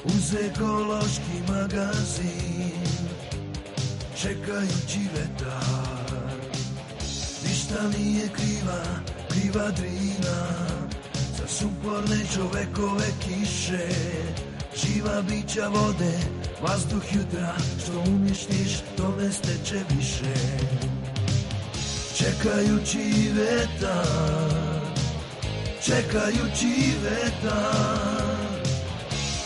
uz ekološki magazin, čekajući vetar. Ništa nije kriva Drina, za suporne čovekove kiše, živa bića vode, vazduh jutra, što umješniš, tome steče više. Čekajući vetar, čekajući vetar,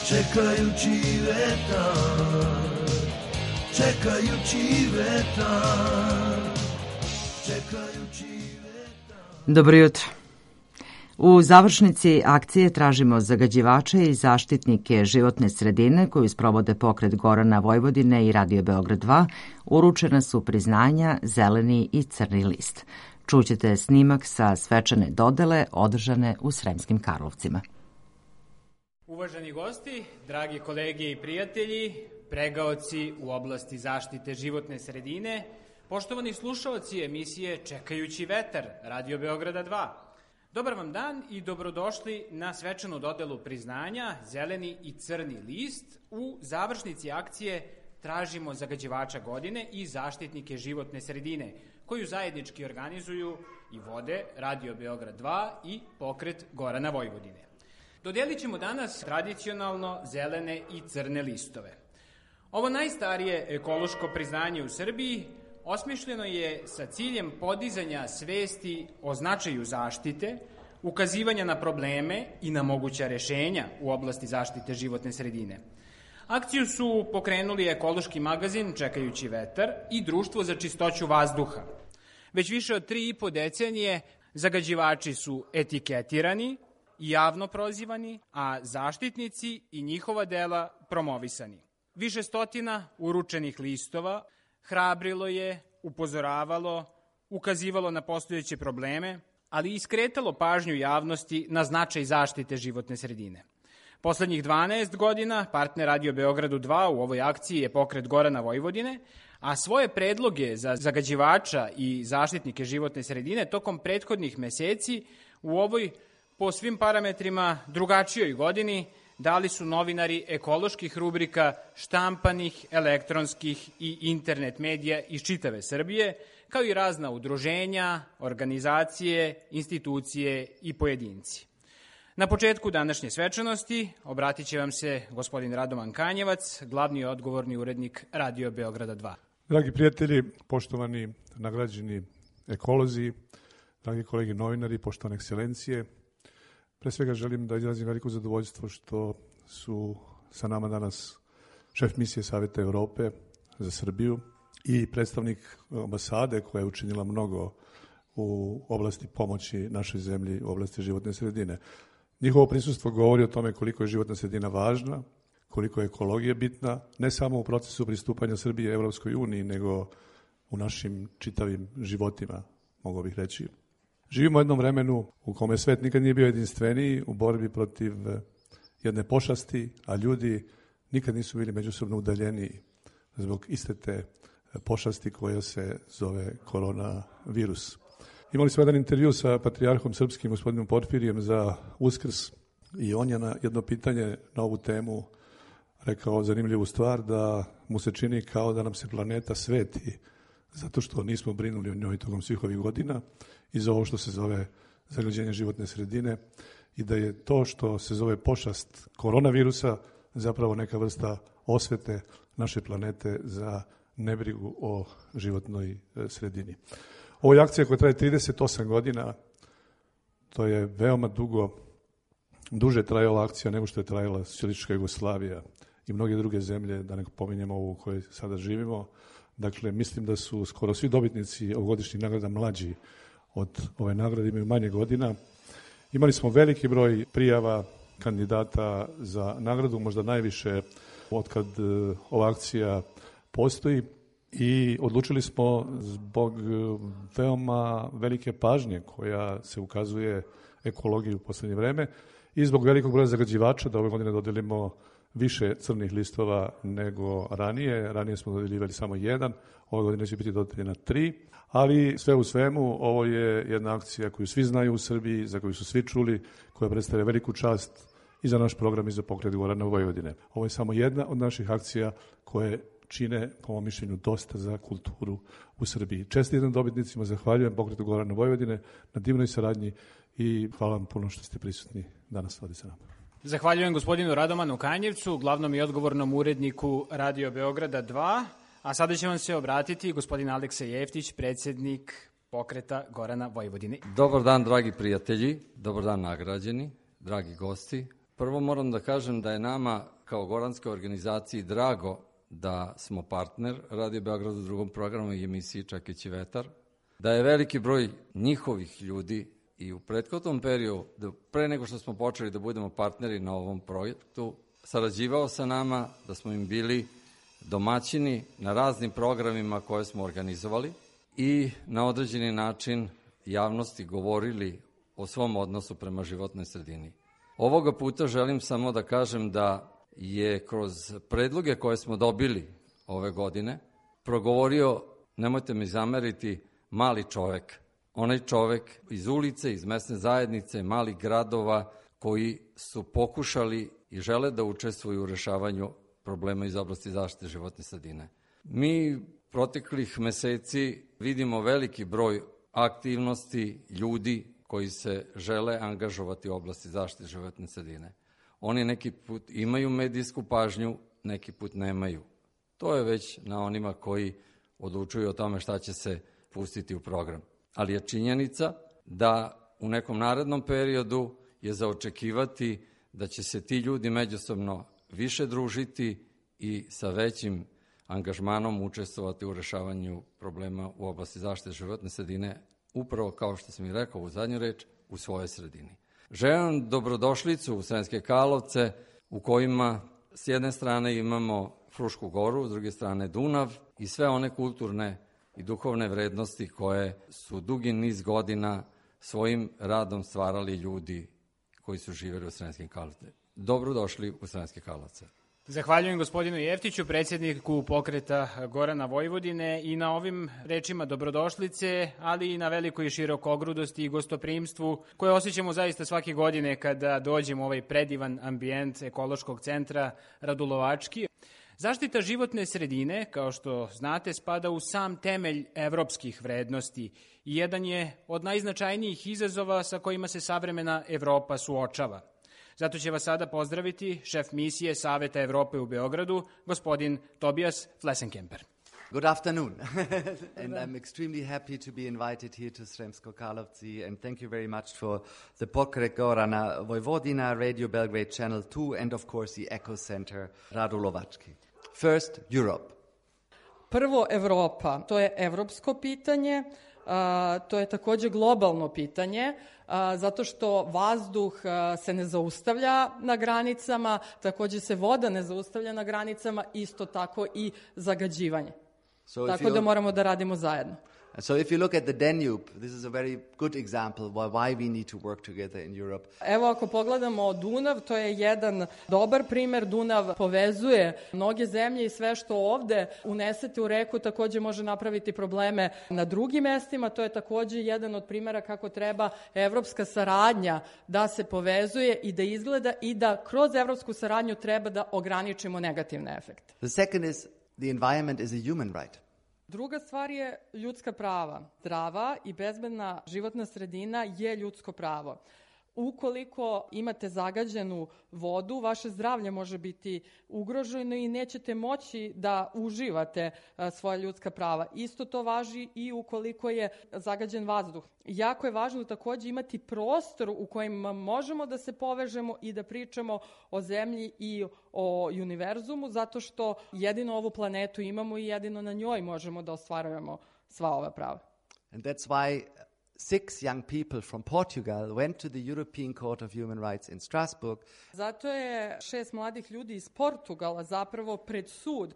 čekajući vetar, čekajući vetar, čekajući vetar. Dobro jutro. U završnici akcije tražimo zagađivače i zaštitnike životne sredine koju sprovode Pokret Gorana Vojvodine i Radio Beograd 2, uručena su priznanja Zeleni i Crni list. Čućete snimak sa svečane dodele održane u Sremskim Karlovcima. Uvaženi gosti, dragi kolege i prijatelji, pregaoci u oblasti zaštite životne sredine, poštovani slušaoci emisije Čekajući vetar, Radio Beograda 2. Dobar vam dan i dobrodošli na svečanu dodelu priznanja Zeleni i Crni list u završnici akcije Tražimo zagađivača godine i zaštitnike životne sredine, koju zajednički organizuju i vode Radio Beograd 2 i Pokret Gorana Vojvodine. Dodelit ćemo danas tradicionalno zelene i crne listove. Ovo najstarije ekološko priznanje u Srbiji osmišljeno je sa ciljem podizanja svesti o značaju zaštite, ukazivanja na probleme i na moguća rešenja u oblasti zaštite životne sredine. Akciju su pokrenuli ekološki magazin Čekajući vetar i Društvo za čistoću vazduha. Već više od 3,5 decenije zagađivači su etiketirani i javno prozivani, a zaštitnici i njihova dela promovisani. Više stotina uručenih listova hrabrilo je, upozoravalo, ukazivalo na postojeće probleme, ali i skretalo pažnju javnosti na značaj zaštite životne sredine. Poslednjih 12 godina partner Radio Beogradu 2 u ovoj akciji je Pokret Gorana Vojvodine, a svoje predloge za zagađivača i zaštitnike životne sredine tokom prethodnih meseci u ovoj po svim parametrima drugačijoj godini dali su novinari ekoloških rubrika štampanih, elektronskih i internet medija iz čitave Srbije, kao i razna udruženja, organizacije, institucije i pojedinci. Na početku današnje svečanosti obratit će vam se gospodin Radovan Kanjevac, glavni odgovorni urednik Radio Beograda 2. Dragi prijatelji, poštovani nagrađeni ekolozi, dragi kolegi novinari, poštovane ekscelencije, pre svega želim da izrazim veliko zadovoljstvo što su sa nama danas šef misije Saveta Evrope za Srbiju i predstavnik ambasade koja je učinila mnogo u oblasti pomoći našoj zemlji u oblasti životne sredine. Njihovo prisustvo govori o tome koliko je životna sredina važna, koliko je ekologija bitna, ne samo u procesu pristupanja Srbije Evropskoj uniji, nego u našim čitavim životima, mogu bih reći. Živimo u jednom vremenu u kome svet nikad nije bio jedinstveniji u borbi protiv jedne pošasti, a ljudi nikad nisu bili međusobno udaljeniji zbog iste te pošasti koja se zove koronavirus. Imali smo jedan intervju sa patrijarhom srpskim, gospodinom Porfirijem, za Uskrs i on je na jedno pitanje na ovu temu rekao zanimljivu stvar, da mu se čini kao da nam se planeta sveti zato što nismo brinuli o njoj tokom svih ovih godina i za ovo što se zove zagađenje životne sredine i da je to što se zove pošast koronavirusa zapravo neka vrsta osvete naše planete za nebrigu o životnoj sredini. Ovo je akcija koja traje 38 godina, to je veoma duže trajala akcija nego što je trajala Socijalistička Jugoslavija i mnoge druge zemlje, da ne pominjemo ovu u kojoj sada živimo. Dakle, mislim da su skoro svi dobitnici ovogodišnjih nagrada mlađi od ove nagrade, imaju manje godina. Imali smo veliki broj prijava kandidata za nagradu, možda najviše otkad ova akcija postoji i odlučili smo zbog veoma velike pažnje koja se ukazuje ekologiji u poslednje vreme i zbog velikog broja zagađivača da ove godine dodelimo više crnih listova nego ranije. Ranije smo dodeljivali samo 1, ove godine će biti dodeljena 3, ali sve u svemu ovo je jedna akcija koju svi znaju u Srbiji, za koju su svi čuli, koja predstavlja veliku čast i za naš program i za pokret Gorana Vojvodine. Ovo je samo jedna od naših akcija koje čine, po mom mišljenju, dosta za kulturu u Srbiji. Čestitam dobitnicima, zahvaljujem pokretu Gorana Vojvodine na divnoj saradnji i hvala vam puno što ste prisutni danas ovdje sa nama. Zahvaljujem gospodinu Radomanu Kanjevcu, glavnom i odgovornom uredniku Radio Beograda 2, a sada će vam se obratiti gospodin Aleksa Jeftić, predsjednik pokreta Gorana Vojvodine. Dobar dan, dragi prijatelji, dobar dan nagrađeni, dragi gosti. Prvo moram da kažem da je nama kao goranskoj organizaciji drago da smo partner Radio Beograd u drugom programu i emisiji Čekajući vetar, da je veliki broj njihovih ljudi i u prethodnom periodu, pre nego što smo počeli da budemo partneri na ovom projektu, sarađivao sa nama, da smo im bili domaćini na raznim programima koje smo organizovali i na određeni način javnosti govorili o svom odnosu prema životnoj sredini. Ovoga puta želim samo da kažem da je kroz predloge koje smo dobili ove godine progovorio, nemojte mi zameriti, mali čovek. Onaj čovek iz ulice, iz mesne zajednice, malih gradova koji su pokušali i žele da učestvuju u rešavanju problema iz oblasti zaštite životne sredine. Mi proteklih meseci vidimo veliki broj aktivnosti ljudi koji se žele angažovati u oblasti zaštite životne sredine. Oni neki put imaju medijsku pažnju, neki put nemaju. To je već na onima koji odlučuju o tome šta će se pustiti u program. Ali je činjenica da u nekom narednom periodu je za očekivati da će se ti ljudi međusobno više družiti i sa većim angažmanom učestvovati u rešavanju problema u oblasti zaštite životne sredine, upravo kao što sam i rekao u zadnju reč, u svojoj sredini. Želim dobrodošlicu u Sremske Karlovce, u kojima s jedne strane imamo Frušku goru, s druge strane Dunav i sve one kulturne i duhovne vrednosti koje su dugi niz godina svojim radom stvarali ljudi koji su živjeli u Sremskim Karlovcima. Dobrodošli u Sremske Karlovce. Zahvaljujem gospodinu Jeftiću, predsjedniku pokreta Gorana Vojvodine, i na ovim rečima dobrodošlice, ali i na velikoj i širokogrudosti i gostoprimstvu koje osjećamo zaista svake godine kada dođemo u ovaj predivan ambijent ekološkog centra Radulovački. Zaštita životne sredine, kao što znate, spada u sam temelj evropskih vrednosti i jedan je od najznačajnijih izazova sa kojima se savremena Evropa suočava. Zato će vas sada pozdraviti šef misije Saveta Evrope u Beogradu, gospodin Tobias Flessenkemper. Good afternoon. And I'm extremely happy to be invited here to Sremsko Karlovci, and thank you very much for the Pokret Gorana Vojvodina, Radio Belgrade Channel 2, and of course the Eco Center Radulovački. First, Europe. Prvo, Evropa. To je evropsko pitanje, to je takođe globalno pitanje, zato što vazduh se ne zaustavlja na granicama, takođe se voda ne zaustavlja na granicama, isto tako i zagađivanje. Tako da moramo da radimo zajedno. So if you look at the Danube, this is a very good example why we need to work together in Europe. Evo, ako pogledamo Dunav, to je jedan dobar primer. Dunav povezuje mnoge zemlje i sve što ovde unesete u reku takođe može napraviti probleme na drugim mestima. To je takođe jedan od primera kako treba evropska saradnja da se povezuje i da izgleda i da kroz evropsku saradnju treba da ograničimo negativne efekte. The second is the environment is a human right. Druga stvar je ljudska prava. Zdrava i bezbedna životna sredina je ljudsko pravo. Ukoliko imate zagađenu vodu, vaše zdravlje može biti ugroženo i nećete moći da uživate svoja ljudska prava. Isto to važi i ukoliko je zagađen vazduh. Jako je važno takođe imati prostor u kojem možemo da se povežemo i da pričamo o zemlji i o univerzumu, zato što jedino ovu planetu imamo i jedino na njoj možemo da ostvarujemo sva ova prava. And that's why 6 young people from Portugal went to the European Court of Human Rights in Strasbourg. Zato je 6 mladih ljudi iz Portugala zapravo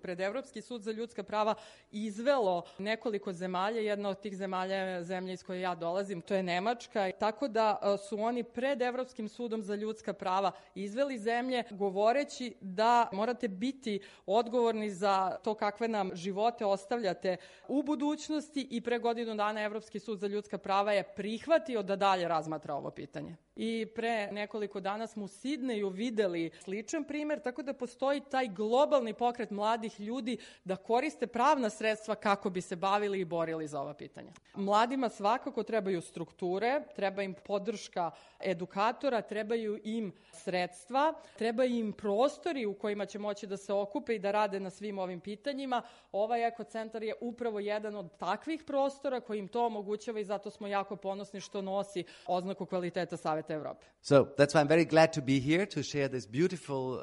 pred Evropski sud za ljudska prava izvelo nekoliko zemalja. Jedna od tih zemalja je zemlja iz koje ja dolazim, to je Nemačka. Tako da su oni pred Evropskim sudom za ljudska prava izveli zemlje govoreći da morate biti odgovorni za to kakve nam živote ostavljate u budućnosti i pre godinu dana Evropski sud za ljudska prava je prihvatio da dalje razmatra ovo pitanje. I pre nekoliko dana smo u Sidneju videli sličan primer, tako da postoji taj globalni pokret mladih ljudi da koriste pravna sredstva kako bi se bavili i borili za ova pitanja. Mladima svakako trebaju strukture, treba im podrška edukatora, trebaju im sredstva, treba im prostori u kojima će moći da se okupe i da rade na svim ovim pitanjima. Ovaj ekocentar je upravo jedan od takvih prostora koji im to omogućava i zato smo jako ponosni što nosi oznaku kvaliteta Saveta Evrope. So that's why I'm very glad to be here to share this beautiful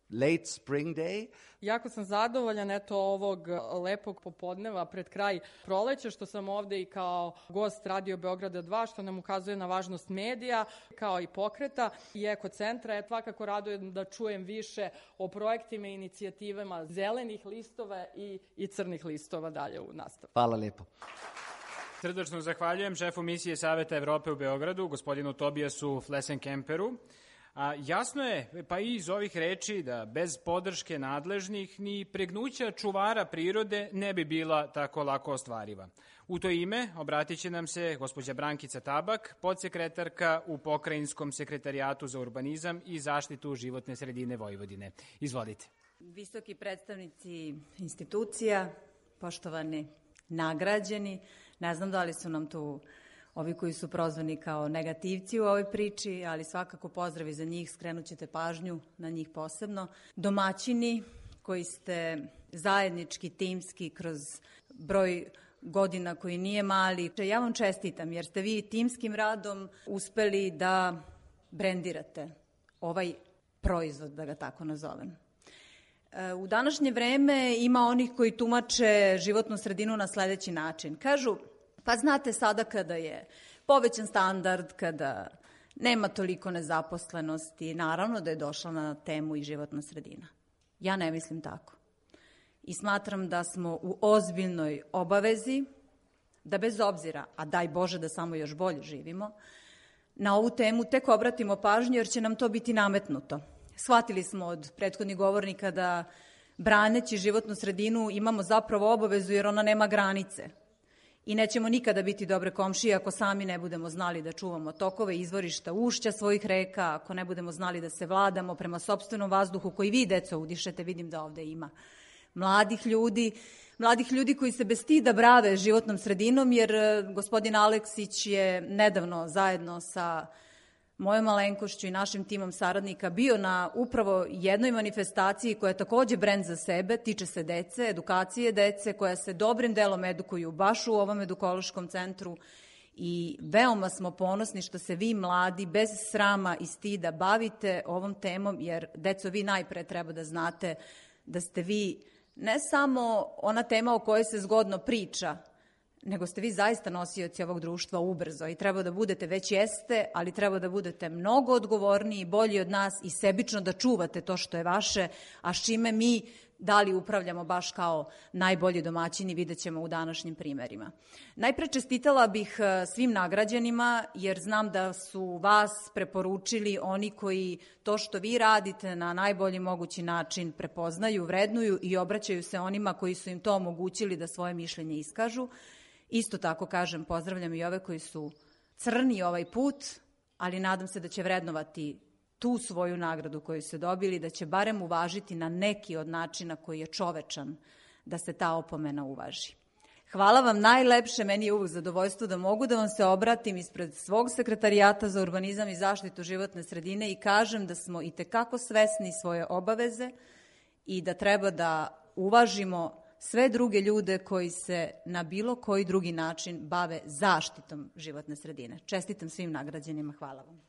late spring day. Jako sam zadovoljan ovog lepog popodneva pred kraj proleća što sam ovde i kao gost Radio Beograda 2, što nam ukazuje na važnost medija, kao i pokreta i ekocentra. Svakako radujem da čujem više o projektima i inicijativama zelenih listova i crnih listova dalje u nastavu. Hvala lepo. Srdačno zahvaljujem šefu misije Saveta Evrope u Beogradu, gospodinu Tobijasu Flesenkemperu. Jasno je, pa i iz ovih reči, da bez podrške nadležnih ni pregnuća čuvara prirode ne bi bila tako lako ostvariva. U to ime obratit će nam se gospođa Brankica Tabak, podsekretarka u Pokrajinskom sekretarijatu za urbanizam i zaštitu životne sredine Vojvodine. Izvolite. Visoki predstavnici institucija, poštovani nagrađeni, ne znam da li su nam tu ovi koji su prozvani kao negativci u ovoj priči, ali svakako pozdravi za njih, skrenut ćete pažnju na njih posebno. Domaćini koji ste zajednički, timski, kroz broj godina koji nije mali. Ja vam čestitam jer ste vi timskim radom uspeli da brendirate ovaj proizvod, da ga tako nazovem. U današnje vreme ima onih koji tumače životnu sredinu na sledeći način. Kažu, pa znate sada kada je povećan standard, kada nema toliko nezaposlenosti, naravno da je došla na temu i životna sredina. Ja ne mislim tako. I smatram da smo u ozbiljnoj obavezi da bez obzira, a daj Bože da samo još bolje živimo, na ovu temu tek obratimo pažnju jer će nam to biti nametnuto. Shvatili smo od prethodnih govornika da braneći životnu sredinu imamo zapravo obavezu jer ona nema granice. I nećemo nikada biti dobre komšije ako sami ne budemo znali da čuvamo tokove, izvorišta, ušća svojih reka, ako ne budemo znali da se vladamo prema sopstvenom vazduhu koji vi, deco, udišete, vidim da ovde ima mladih ljudi koji se bez stida brave životnom sredinom, jer gospodin Aleksić je nedavno zajedno sa mojom malenkošću i našim timom saradnika bio na upravo jednoj manifestaciji koja je takođe brend za sebe, tiče se dece, edukacije dece, koja se dobrim delom edukuju baš u ovom edukološkom centru i veoma smo ponosni što se vi mladi bez srama i stida bavite ovom temom, jer deco vi najpre treba da znate da ste vi ne samo ona tema o kojoj se zgodno priča, nego ste vi zaista nosioci ovog društva ubrzo i treba da budete, već jeste, ali treba da budete mnogo odgovorniji, bolji od nas i sebično da čuvate to što je vaše, a s čime mi da li upravljamo baš kao najbolji domaćini, vidjet ćemo u današnjim primerima. Najpre čestitala bih svim nagrađenima, jer znam da su vas preporučili oni koji to što vi radite na najbolji mogući način prepoznaju, vrednuju i obraćaju se onima koji su im to omogućili da svoje mišljenje iskažu. Isto tako kažem, pozdravljam i ove koji su crni ovaj put, ali nadam se da će vrednovati tu svoju nagradu koju su dobili, da će barem uvažiti na neki od načina koji je čovečan da se ta opomena uvaži. Hvala vam najlepše, meni je uvek zadovoljstvo da mogu da vam se obratim ispred svog sekretarijata za urbanizam i zaštitu životne sredine i kažem da smo itekako svesni svoje obaveze i da treba da uvažimo sve druge ljude koji se na bilo koji drugi način bave zaštitom životne sredine. Čestitam svim nagrađenima, hvala vam.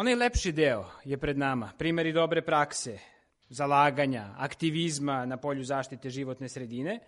Onaj lepši deo je pred nama, primjeri dobre prakse, zalaganja, aktivizma na polju zaštite životne sredine,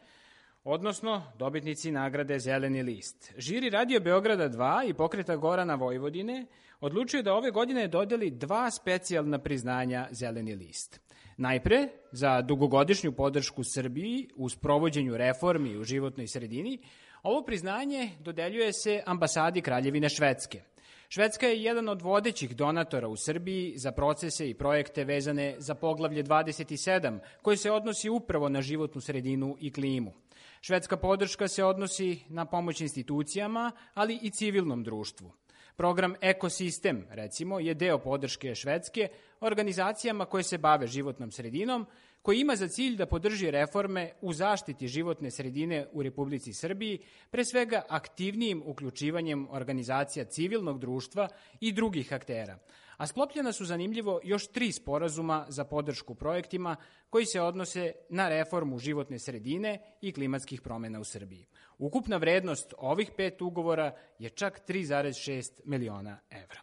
odnosno dobitnici nagrade Zeleni list. Žiri Radio Beograda 2 i Pokreta Gorana Vojvodine odlučuju da ove godine dodeli 2 specijalna priznanja Zeleni list. Najpre, za dugogodišnju podršku Srbiji u sprovođenju reformi u životnoj sredini, ovo priznanje dodeljuje se ambasadi Kraljevine Švedske. Švedska je jedan od vodećih donatora u Srbiji za procese i projekte vezane za poglavlje 27, koje se odnosi upravo na životnu sredinu i klimu. Švedska podrška se odnosi na pomoć institucijama, ali i civilnom društvu. Program Ekosistem, recimo, je deo podrške Švedske organizacijama koje se bave životnom sredinom, koji ima za cilj da podrži reforme u zaštiti životne sredine u Republici Srbiji, pre svega aktivnijim uključivanjem organizacija civilnog društva i drugih aktera. A sklopljena su, zanimljivo, još 3 sporazuma za podršku projektima koji se odnose na reformu životne sredine i klimatskih promjena u Srbiji. Ukupna vrednost ovih 5 ugovora je čak 3,6 miliona evra.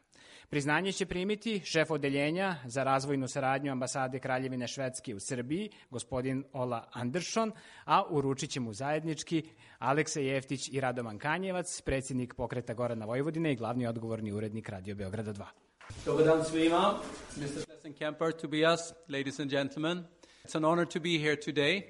Priznanje će primiti šef odeljenja za razvojnu saradnju ambasade Kraljevine Švedske u Srbiji, gospodin Ola Andersson, a uručit će mu zajednički Aleksa Jeftić i Radovan Kanjevac, predsjednik Pokreta Gorana Vojvodine i glavni odgovorni urednik Radio Beograda 2. Dobar dan svima. Mr. Schlesinger, Tobias, ladies and gentlemen. It's an honor to be here today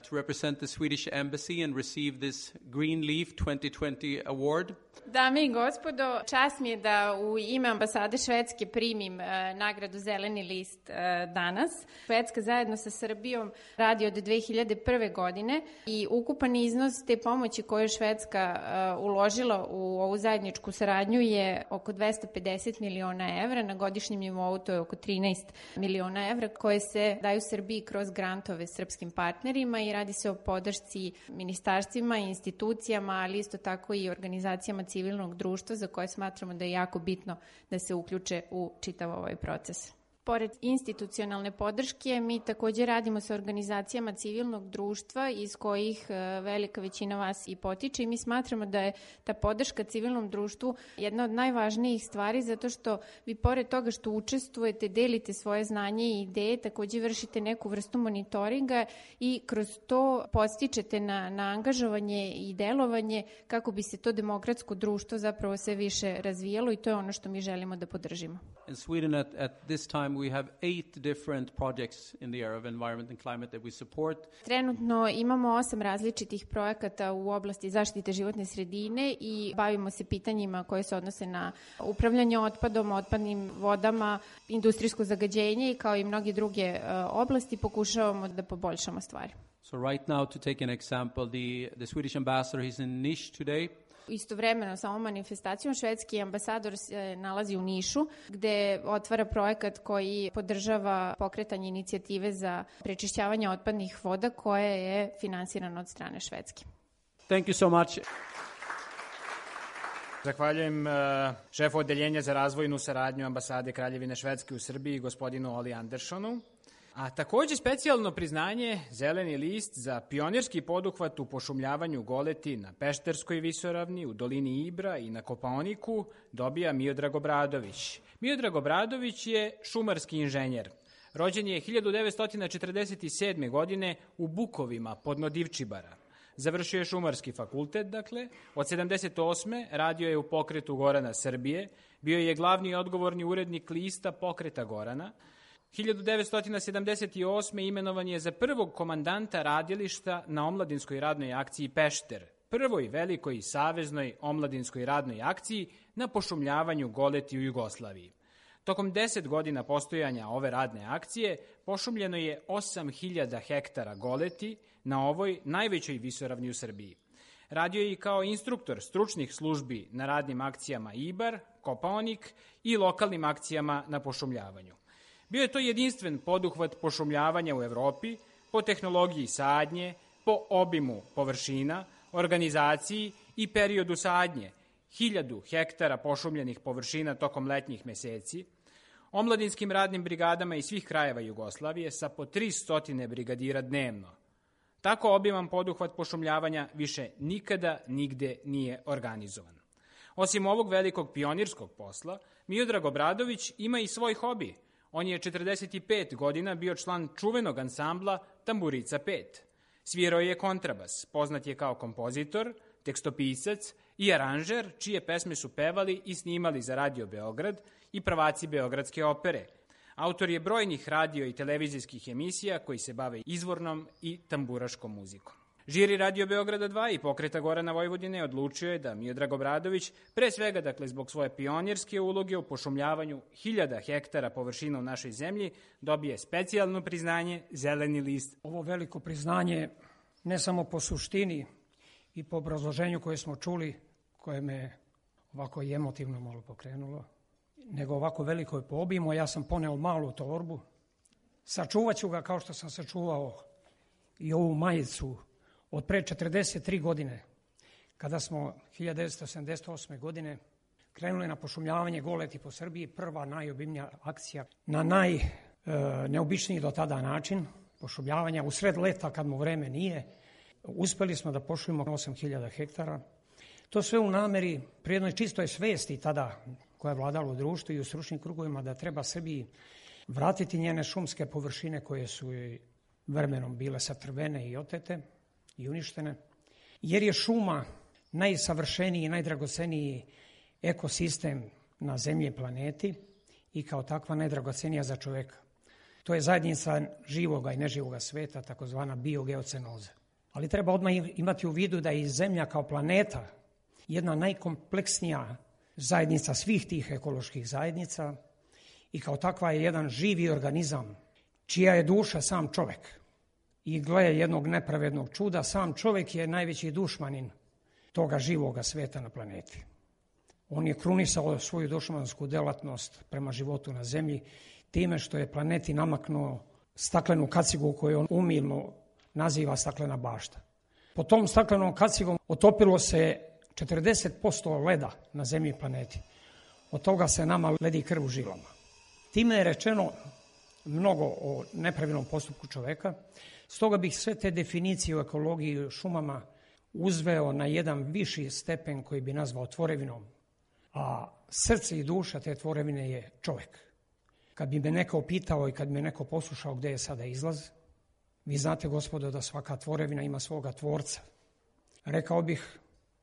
to represent the Swedish Embassy and receive this Green Leaf 2020 award. Dame i gospodo, čast mi je da u ime ambasade Švedske primim nagradu Zeleni list danas. Švedska zajedno sa Srbijom radi od 2001. godine i ukupan iznos te pomoći koju je Švedska uložila u ovu zajedničku saradnju je oko 250 miliona evra, na godišnjem nivou to je oko 13 miliona evra koje se daju Srbiji kroz grantove srpskim partnerima i radi se o podršci ministarstvima i institucijama, ali isto tako i organizacijama civilnog društva za koje smatramo da je jako bitno da se uključe u čitav ovaj proces. Pored institucionalne podrške, mi također radimo sa organizacijama civilnog društva iz kojih velika većina vas i potiče i mi smatramo da je ta podrška civilnom društvu jedna od najvažnijih stvari zato što vi pored toga što učestvujete, delite svoje znanje i ideje, također vršite neku vrstu monitoringa i kroz to podstičete na angažovanje i delovanje kako bi se to demokratsko društvo zapravo sve više razvijalo i to je ono što mi želimo da podržimo. In Sweden at this time we have 8 different projects in the area of environment and climate that we support. Trenutno imamo 8 različitih projekata u oblasti zaštite životne sredine i bavimo se pitanjima koje se odnose na upravljanje otpadom, otpadnim vodama, industrijsko zagađenje i kao i mnogi druge oblasti pokušavamo da poboljšamo stvari. So right now, to take an example, the Swedish ambassador is in Niš today. Istovremeno sa ovom manifestacijom švedski ambasador se nalazi u Nišu gde otvara projekat koji podržava pokretanje inicijative za prečišćavanje otpadnih voda koja je finansirana od strane Švedske. Thank you so much. Zahvaljujem šefu odeljenja za razvojnu saradnju ambasade Kraljevine Švedske u Srbiji, gospodinu Oli Anderssonu. A također specijalno priznanje Zeleni list za pionirski poduhvat u pošumljavanju goleti na Pešterskoj visoravni, u dolini Ibra i na Kopaoniku dobija Miodrag Obradović. Miodrag Obradović je šumarski inženjer. Rođen je 1947. godine u Bukovima podno Divčibara. Završio je šumarski fakultet, dakle. Od 78. radio je u Pokretu Gorana Srbije. Bio je glavni odgovorni urednik lista Pokreta Gorana. 1978. imenovan je za prvog komandanta radilišta na omladinskoj radnoj akciji Pešter, prvoj velikoj saveznoj omladinskoj radnoj akciji na pošumljavanju goleti u Jugoslaviji. Tokom 10 godina postojanja ove radne akcije pošumljeno je 8000 hektara goleti na ovoj najvećoj visoravni u Srbiji. Radio je i kao instruktor stručnih službi na radnim akcijama Ibar, Kopaonik i lokalnim akcijama na pošumljavanju. Bio je to jedinstven poduhvat pošumljavanja u Evropi po tehnologiji sadnje, po obimu površina, organizaciji i periodu sadnje, 1000 hektara pošumljenih površina tokom letnjih meseci, omladinskim radnim brigadama iz svih krajeva Jugoslavije sa po 300 brigadira dnevno. Tako obiman poduhvat pošumljavanja više nikada nigde nije organizovan. Osim ovog velikog pionirskog posla, Miodrag Obradović ima i svoj hobi. On je 45 godina bio član čuvenog ansambla Tamburica 5. Svirao je kontrabas, poznat je kao kompozitor, tekstopisac i aranžer, čije pesme su pevali i snimali za Radio Beograd i prvaci Beogradske opere. Autor je brojnih radio i televizijskih emisija koji se bave izvornom i tamburaškom muzikom. Žiri Radio Beograda 2 i Pokreta Gorana Vojvodine odlučio je da Miodrag Obradović, pre svega dakle zbog svoje pionirske uloge u pošumljavanju 1000 hektara površina u našoj zemlji, dobije specijalno priznanje Zeleni list. Ovo veliko priznanje ne samo po suštini i po obrazloženju koje smo čuli, koje me ovako i emotivno malo pokrenulo, nego ovako veliko je po obimu. Ja sam poneo malu torbu, sačuvat ću ga kao što sam sačuvao i ovu majicu od pre 43 godine, kada smo 1978. godine krenuli na pošumljavanje goleti po Srbiji, prva najobimnija akcija na najneobičniji do tada način pošumljavanja. U sred leta, kad mu vreme nije, uspeli smo da pošumimo 8000 hektara. To sve u nameri, pri jednoj čistoj svesti tada koja je vladala u društvu i u stručnim krugovima, da treba Srbiji vratiti njene šumske površine koje su joj vremenom bile satrvene i otete i uništene, jer je šuma najsavršeniji i najdragoceniji ekosistem na zemlji i planeti i kao takva najdragocenija za čoveka. To je zajednica živoga i neživoga sveta, takozvana biogeocenoza. Ali treba odmah imati u vidu da je i Zemlja kao planeta jedna najkompleksnija zajednica svih tih ekoloških zajednica i kao takva je jedan živi organizam čija je duša sam čovek. I gle jednog nepravednog čuda, sam čovek je najveći dušmanin toga živoga sveta na planeti. On je krunisao svoju dušmansku delatnost prema životu na zemlji time što je planeti namaknuo staklenu kacigu koju on umilno naziva staklena bašta. Po tom staklenom kacigom otopilo se 40% leda na zemlji i planeti. Od toga se nama ledi krv u žilama. Time je rečeno mnogo o nepravilnom postupku čoveka. Stoga bih sve te definicije u ekologiji i šumama uzveo na jedan viši stepen koji bi nazvao tvorevinom. A srce i duša te tvorevine je čovek. Kad bi me neko pitao i kad bi me neko poslušao gde je sada izlaz, vi znate, gospodo, da svaka tvorevina ima svoga tvorca. Rekao bih,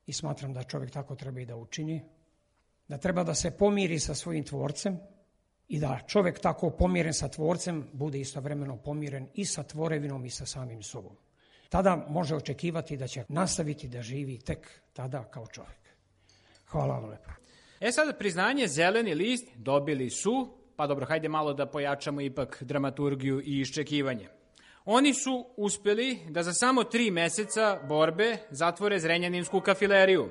i smatram da čovjek tako treba i da učini, da treba da se pomiri sa svojim tvorcem i da čovjek tako pomiren sa tvorcem bude istovremeno pomiren i sa tvorevinom i sa samim sobom. Tada može očekivati da će nastaviti da živi tek tada kao čovjek. Hvala vam lepo. Sada priznanje Zeleni list dobili su, pa dobro, hajde malo da pojačamo ipak dramaturgiju i iščekivanje. Oni su uspeli da za samo 3 meseca borbe zatvore Zrenjaninsku kafileriju.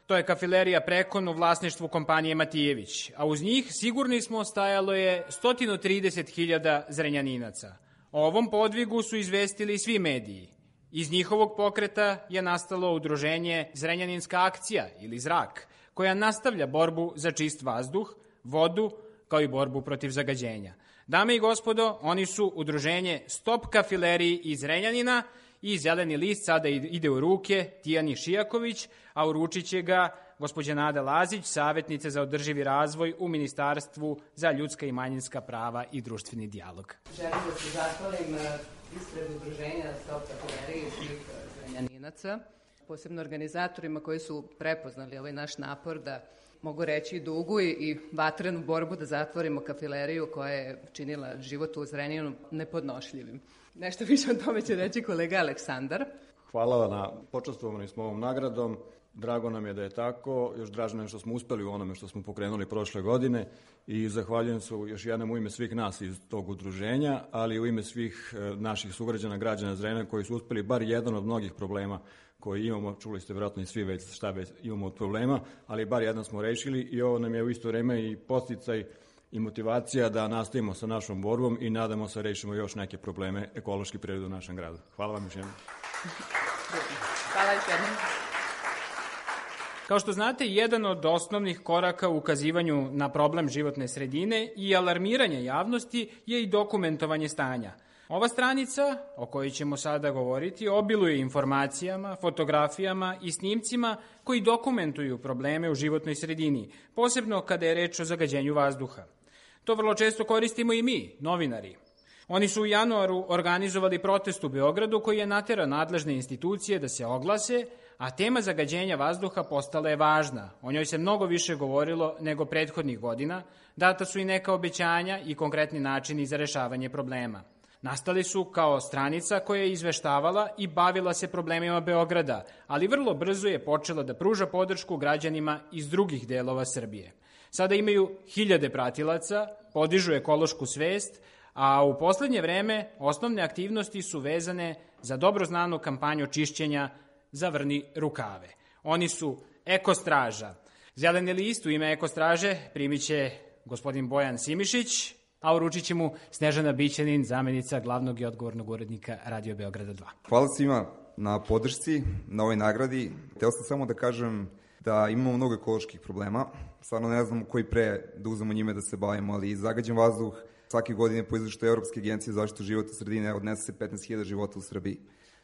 To je kafilerija Prekon u vlasništvu kompanije Matijević, a uz njih sigurni smo stajalo je 130.000 Zrenjaninaca. O ovom podvigu su izvestili svi mediji. Iz njihovog pokreta je nastalo udruženje Zrenjaninska akcija ili Zrak, koja nastavlja borbu za čist vazduh, vodu, kao i borbu protiv zagađenja. Dame i gospodo, oni su udruženje Stop kafileriji iz Zrenjanina i Zeleni list sada ide u ruke Tijani Šijaković, a uručit će ga gospođa Nada Lazić, savjetnica za održivi razvoj u Ministarstvu za ljudska i manjinska prava i društveni dijalog. Želim da se zahvalim ispred udruženja Stop kafileriji i svih Zrenjaninaca, posebno organizatorima koji su prepoznali ovaj naš napor da, mogu reći, dugu i vatrenu borbu da zatvorimo kafileriju koja je činila život u Zrenjaninu nepodnošljivim. Nešto više o tome će reći kolega Aleksandar. Hvala na počastvovani smo ovom nagradom. Drago nam je da je tako. Još draže nam što smo uspeli u onome što smo pokrenuli prošle godine i zahvaljujem se još jednom u ime svih nas iz tog udruženja, ali i u ime svih naših sugrađana, građana Zrenjanina koji su uspeli bar jedan od mnogih problema koji imamo, čuli ste vjerojatno i svi već šta već imamo od problema, ali bar jedan smo rešili i ovo nam je u isto vreme i podsticaj i motivacija da nastavimo sa našom borbom i nadamo se rešimo još neke probleme ekološki prirode u našem gradu. Hvala vam još jednom. Hvala još jednom. Kao što znate, jedan od osnovnih koraka u ukazivanju na problem životne sredine i alarmiranja javnosti je i dokumentovanje stanja. Ova stranica, o kojoj ćemo sada govoriti, obiluje informacijama, fotografijama i snimcima koji dokumentuju probleme u životnoj sredini, posebno kada je reč o zagađenju vazduha. To vrlo često koristimo i mi, novinari. Oni su u januaru organizovali protest u Beogradu koji je naterao nadležne institucije da se oglase, a tema zagađenja vazduha postala je važna. O njoj se mnogo više govorilo nego prethodnih godina, data su i neka obećanja i konkretni načini za rešavanje problema. Nastali su kao stranica koja je izveštavala i bavila se problemima Beograda, ali vrlo brzo je počela da pruža podršku građanima iz drugih delova Srbije. Sada imaju hiljade pratilaca, podižu ekološku svest, a u poslednje vreme osnovne aktivnosti su vezane za dobro znanu kampanju čišćenja Zavrni rukave. Oni su Ekostraža. Zeleni list u ime Ekostraže primit će gospodin Bojan Simišić, a uručit će mu Snežana Bićanin, zamenica glavnog i odgovornog urednika Radio Beograda 2. Hvala svima na podršci, na ovoj nagradi. Hteo sam samo da kažem da imamo mnogo ekoloških problema. Stvarno ne znam koji pre da uzmemo njime da se bavimo, ali zagađen vazduh svake godine po izveštaju Evropske agencije za zaštitu životne sredine odnese se 15.000 života u Srbiji.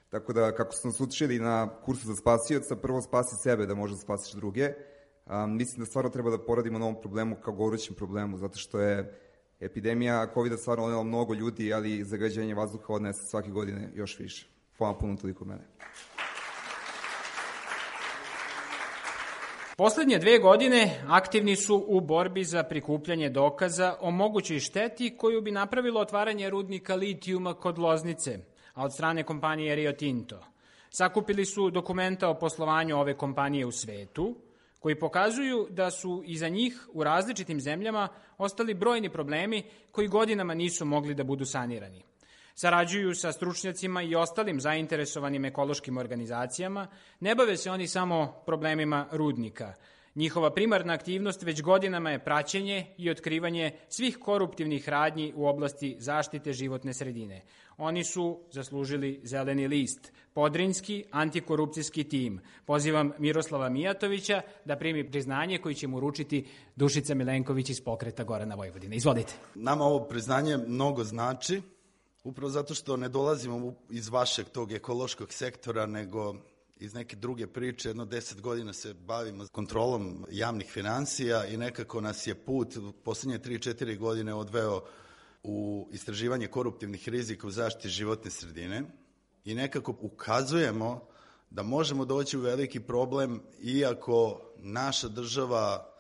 Tako da, kako smo nas učili na kursu za spasioca, prvo spasi sebe da možda spasiš druge. Mislim da stvarno treba da poradimo na ovom problemu kao gorućem problemu, zato što je epidemija COVID-a stvarno odnela mnogo ljudi, ali zagađenje vazduha odnese svake godine još više. Hvala puno toliko mene. Poslednje 2 godine aktivni su u borbi za prikupljanje dokaza o mogućoj šteti koju bi napravilo otvaranje rudnika litijuma kod Loznice, a od strane kompanije Rio Tinto. Sakupili su dokumenta o poslovanju ove kompanije u svetu, koji pokazuju da su iza njih u različitim zemljama ostali brojni problemi koji godinama nisu mogli da budu sanirani. Sarađuju sa stručnjacima i ostalim zainteresovanim ekološkim organizacijama, ne bave se oni samo problemima rudnika. Njihova primarna aktivnost već godinama je praćenje i otkrivanje svih koruptivnih radnji u oblasti zaštite životne sredine. Oni su zaslužili zeleni list, Podrinjski antikorupcijski tim. Pozivam Miroslava Mijatovića da primi priznanje koji će mu uručiti Dušica Milenković iz Pokreta Gorana Vojvodine. Izvolite. Nama ovo priznanje mnogo znači, upravo zato što ne dolazimo iz vašeg tog ekološkog sektora, nego iz neke druge priče. Jedno 10 godina se bavimo kontrolom javnih finansija i nekako nas je put u poslednje 3-4 godine odveo u istraživanje koruptivnih rizika u zaštiti životne sredine i nekako ukazujemo da možemo doći u veliki problem iako naša država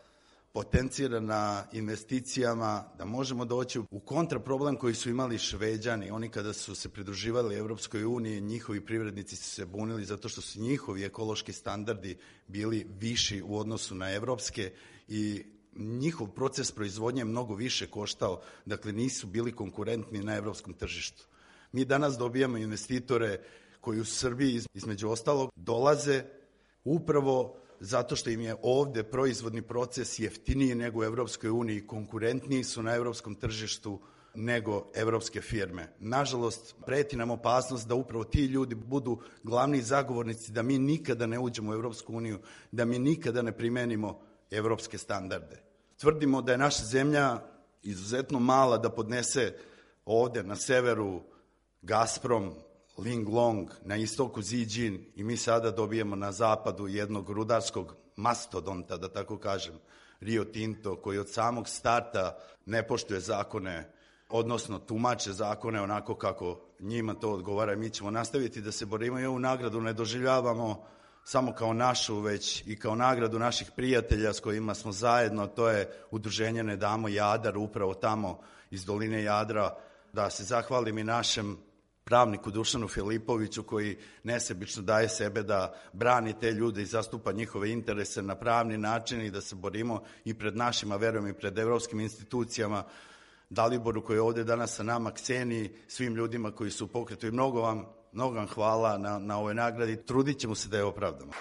potencira na investicijama, da možemo doći u kontraproblem koji su imali Šveđani. Oni kada su se pridruživali Evropskoj uniji, njihovi privrednici su se bunili zato što su njihovi ekološki standardi bili viši u odnosu na evropske i njihov proces proizvodnje je mnogo više koštao, dakle nisu bili konkurentni na evropskom tržištu. Mi danas dobijamo investitore koji u Srbiji između ostalog dolaze upravo zato što im je ovde proizvodni proces jeftiniji nego u Evropskoj uniji, konkurentniji su na evropskom tržištu nego evropske firme. Nažalost, preti nam opasnost da upravo ti ljudi budu glavni zagovornici da mi nikada ne uđemo u Evropsku uniju, da mi nikada ne primenimo evropske standarde. Tvrdimo da je naša zemlja izuzetno mala da podnese ovde na severu Gazprom, Linglong, na istoku Ziđin i mi sada dobijemo na zapadu jednog rudarskog mastodonta, da tako kažem, Rio Tinto, koji od samog starta ne poštuje zakone, odnosno tumače zakone onako kako njima to odgovara i mi ćemo nastaviti da se borimo i ovu nagradu ne doživljavamo samo kao našu, već i kao nagradu naših prijatelja s kojima smo zajedno, to je udruženje Ne damo Jadar, upravo tamo iz doline Jadra, da se zahvalim i našem pravniku Dušanu Filipoviću koji nesebično daje sebe da brani te ljude i zastupa njihove interese na pravni način i da se borimo i pred našima, verujem i pred evropskim institucijama, Daliboru koji je ovde danas sa nama, Kseniji, svim ljudima koji su u pokretu i mnogo vam hvala na ovoj nagradi. Trudit ćemo se da je opravdamo.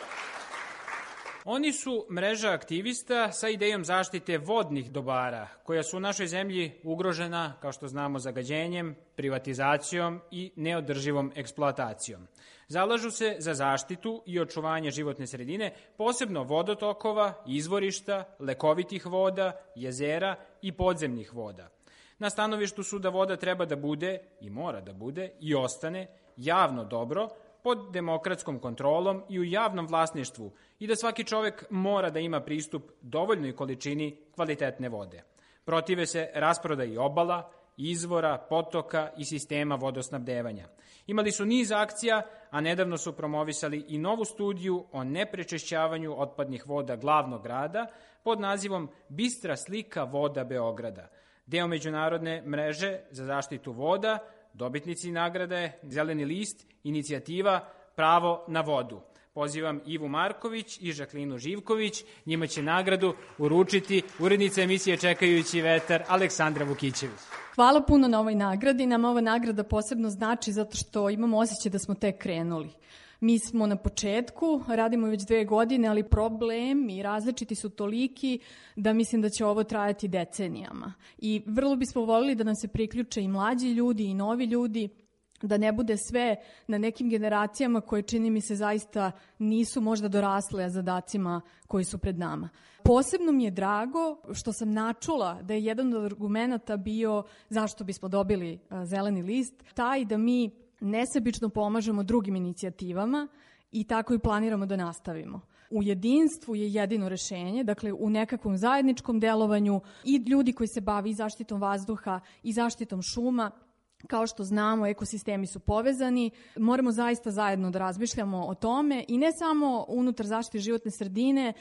Oni su mreža aktivista sa idejom zaštite vodnih dobara, koja su u našoj zemlji ugrožena, kao što znamo, zagađenjem, privatizacijom i neodrživom eksploatacijom. Zalažu se za zaštitu i očuvanje životne sredine, posebno vodotokova, izvorišta, lekovitih voda, jezera i podzemnih voda. Na stanovištu su da voda treba da bude, i mora da bude, i ostane javno dobro, pod demokratskom kontrolom i u javnom vlasništvu i da svaki čovek mora da ima pristup dovoljnoj količini kvalitetne vode. Protive se rasprodaji obala, izvora, potoka i sistema vodosnabdevanja. Imali su niz akcija, a nedavno su promovisali i novu studiju o neprečešćavanju otpadnih voda glavnog grada pod nazivom Bistra slika voda Beograda. Deo međunarodne mreže za zaštitu voda, dobitnici nagrade Zeleni list, inicijativa Pravo na vodu. Pozivam Ivu Marković i Žaklinu Živković. Njima će nagradu uručiti urednica emisije Čekajući vetar Aleksandra Vukićević. Hvala puno na ovoj nagradi. Nama ova nagrada posebno znači zato što imamo osjećaj da smo tek krenuli. Mi smo na početku, radimo već 2 godine, ali problem i različiti su toliki da mislim da će ovo trajati decenijama. I vrlo bismo volili da nam se priključe i mlađi ljudi i novi ljudi, da ne bude sve na nekim generacijama koje, čini mi se, zaista nisu možda dorasle zadacima koji su pred nama. Posebno mi je drago što sam načula da je jedan od argumenata bio zašto bismo dobili zeleni list, taj da mi nesebično pomažemo drugim inicijativama i tako i planiramo da nastavimo. U jedinstvu je jedino rešenje, dakle u nekakvom zajedničkom delovanju i ljudi koji se bavi i zaštitom vazduha i zaštitom šuma. Kao što znamo, ekosistemi su povezani, moramo zaista zajedno da razmišljamo o tome i ne samo unutar zaštite životne sredine,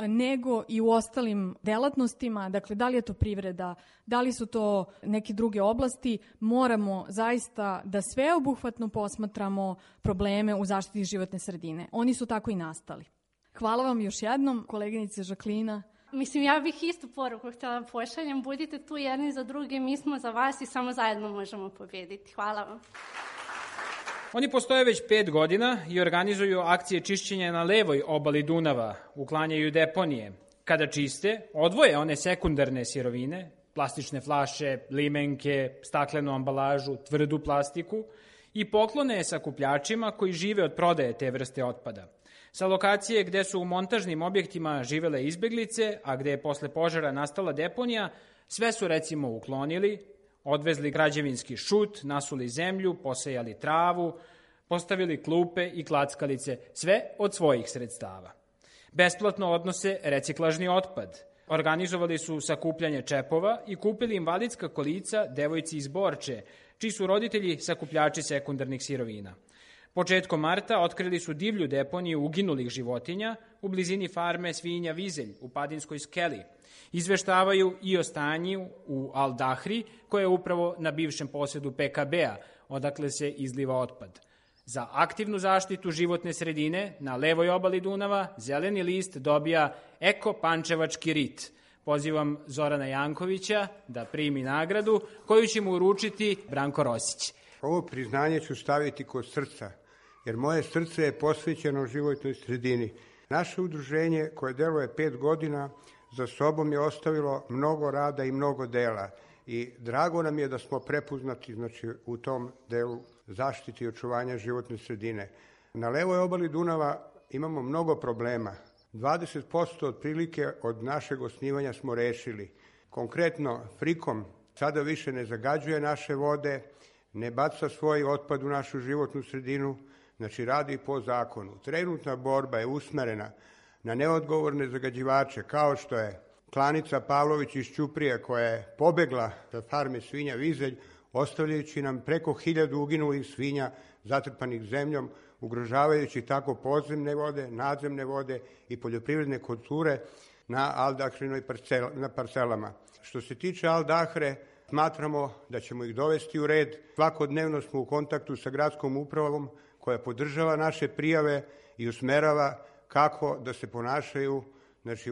nego i u ostalim delatnostima, dakle da li je to privreda, da li su to neke druge oblasti, moramo zaista da sveobuhvatno posmatramo probleme u zaštiti životne sredine. Oni su tako i nastali. Hvala vam još jednom, koleginice Žaklina. Mislim, ja bih istu poruku htjela pošaljem. Budite tu jedni za druge, mi smo za vas i samo zajedno možemo pobjediti. Hvala vam. Oni postoje već 5 godina i organizuju akcije čišćenja na levoj obali Dunava, uklanjaju deponije. Kada čiste, odvoje one sekundarne sirovine, plastične flaše, limenke, staklenu ambalažu, tvrdu plastiku i poklone je sakupljačima koji žive od prodaje te vrste otpada. Sa lokacije gde su u montažnim objektima živele izbeglice, a gde je posle požara nastala deponija, sve su recimo uklonili, odvezli građevinski šut, nasuli zemlju, posejali travu, postavili klupe i klackalice, sve od svojih sredstava. Besplatno odnose reciklažni otpad. Organizovali su sakupljanje čepova i kupili invalidska kolica devojci iz Borče, čiji su roditelji sakupljači sekundarnih sirovina. Početkom marta otkrili su divlju deponiju uginulih životinja u blizini farme svinja Vizelj u Padinskoj skeli. Izveštavaju i o stanju u Al Dahri, koje je upravo na bivšem posedu PKB-a, odakle se izliva otpad. Za aktivnu zaštitu životne sredine na levoj obali Dunava zeleni list dobija Eko-pančevački rit. Pozivam Zorana Jankovića da primi nagradu koju će mu uručiti Branko Rosić. Ovo priznanje ću staviti kod srca, jer moje srce je posvećeno životnoj sredini. Naše udruženje, koje deluje 5 godina, za sobom je ostavilo mnogo rada i mnogo dela. I drago nam je da smo prepoznati u tom delu zaštite i očuvanja životne sredine. Na levoj obali Dunava imamo mnogo problema. 20% otprilike od našeg osnivanja smo rešili. Konkretno, Frikom sada više ne zagađuje naše vode, ne baca svoj otpad u našu životnu sredinu, znači radi po zakonu. Trenutna borba je usmerena na neodgovorne zagađivače, kao što je klanica Pavlović iz Ćuprije, koja je pobegla sa farme svinja Vizelj, ostavljajući nam preko 1000 uginulih svinja zatrpanih zemljom, ugrožavajući tako podzemne vode, nadzemne vode i poljoprivredne kulture na Aldahrinoj parcelama. Što se tiče Aldahre, smatramo da ćemo ih dovesti u red. Svakodnevno smo u kontaktu sa gradskom upravom koja podržava naše prijave i usmerava kako da se ponašaju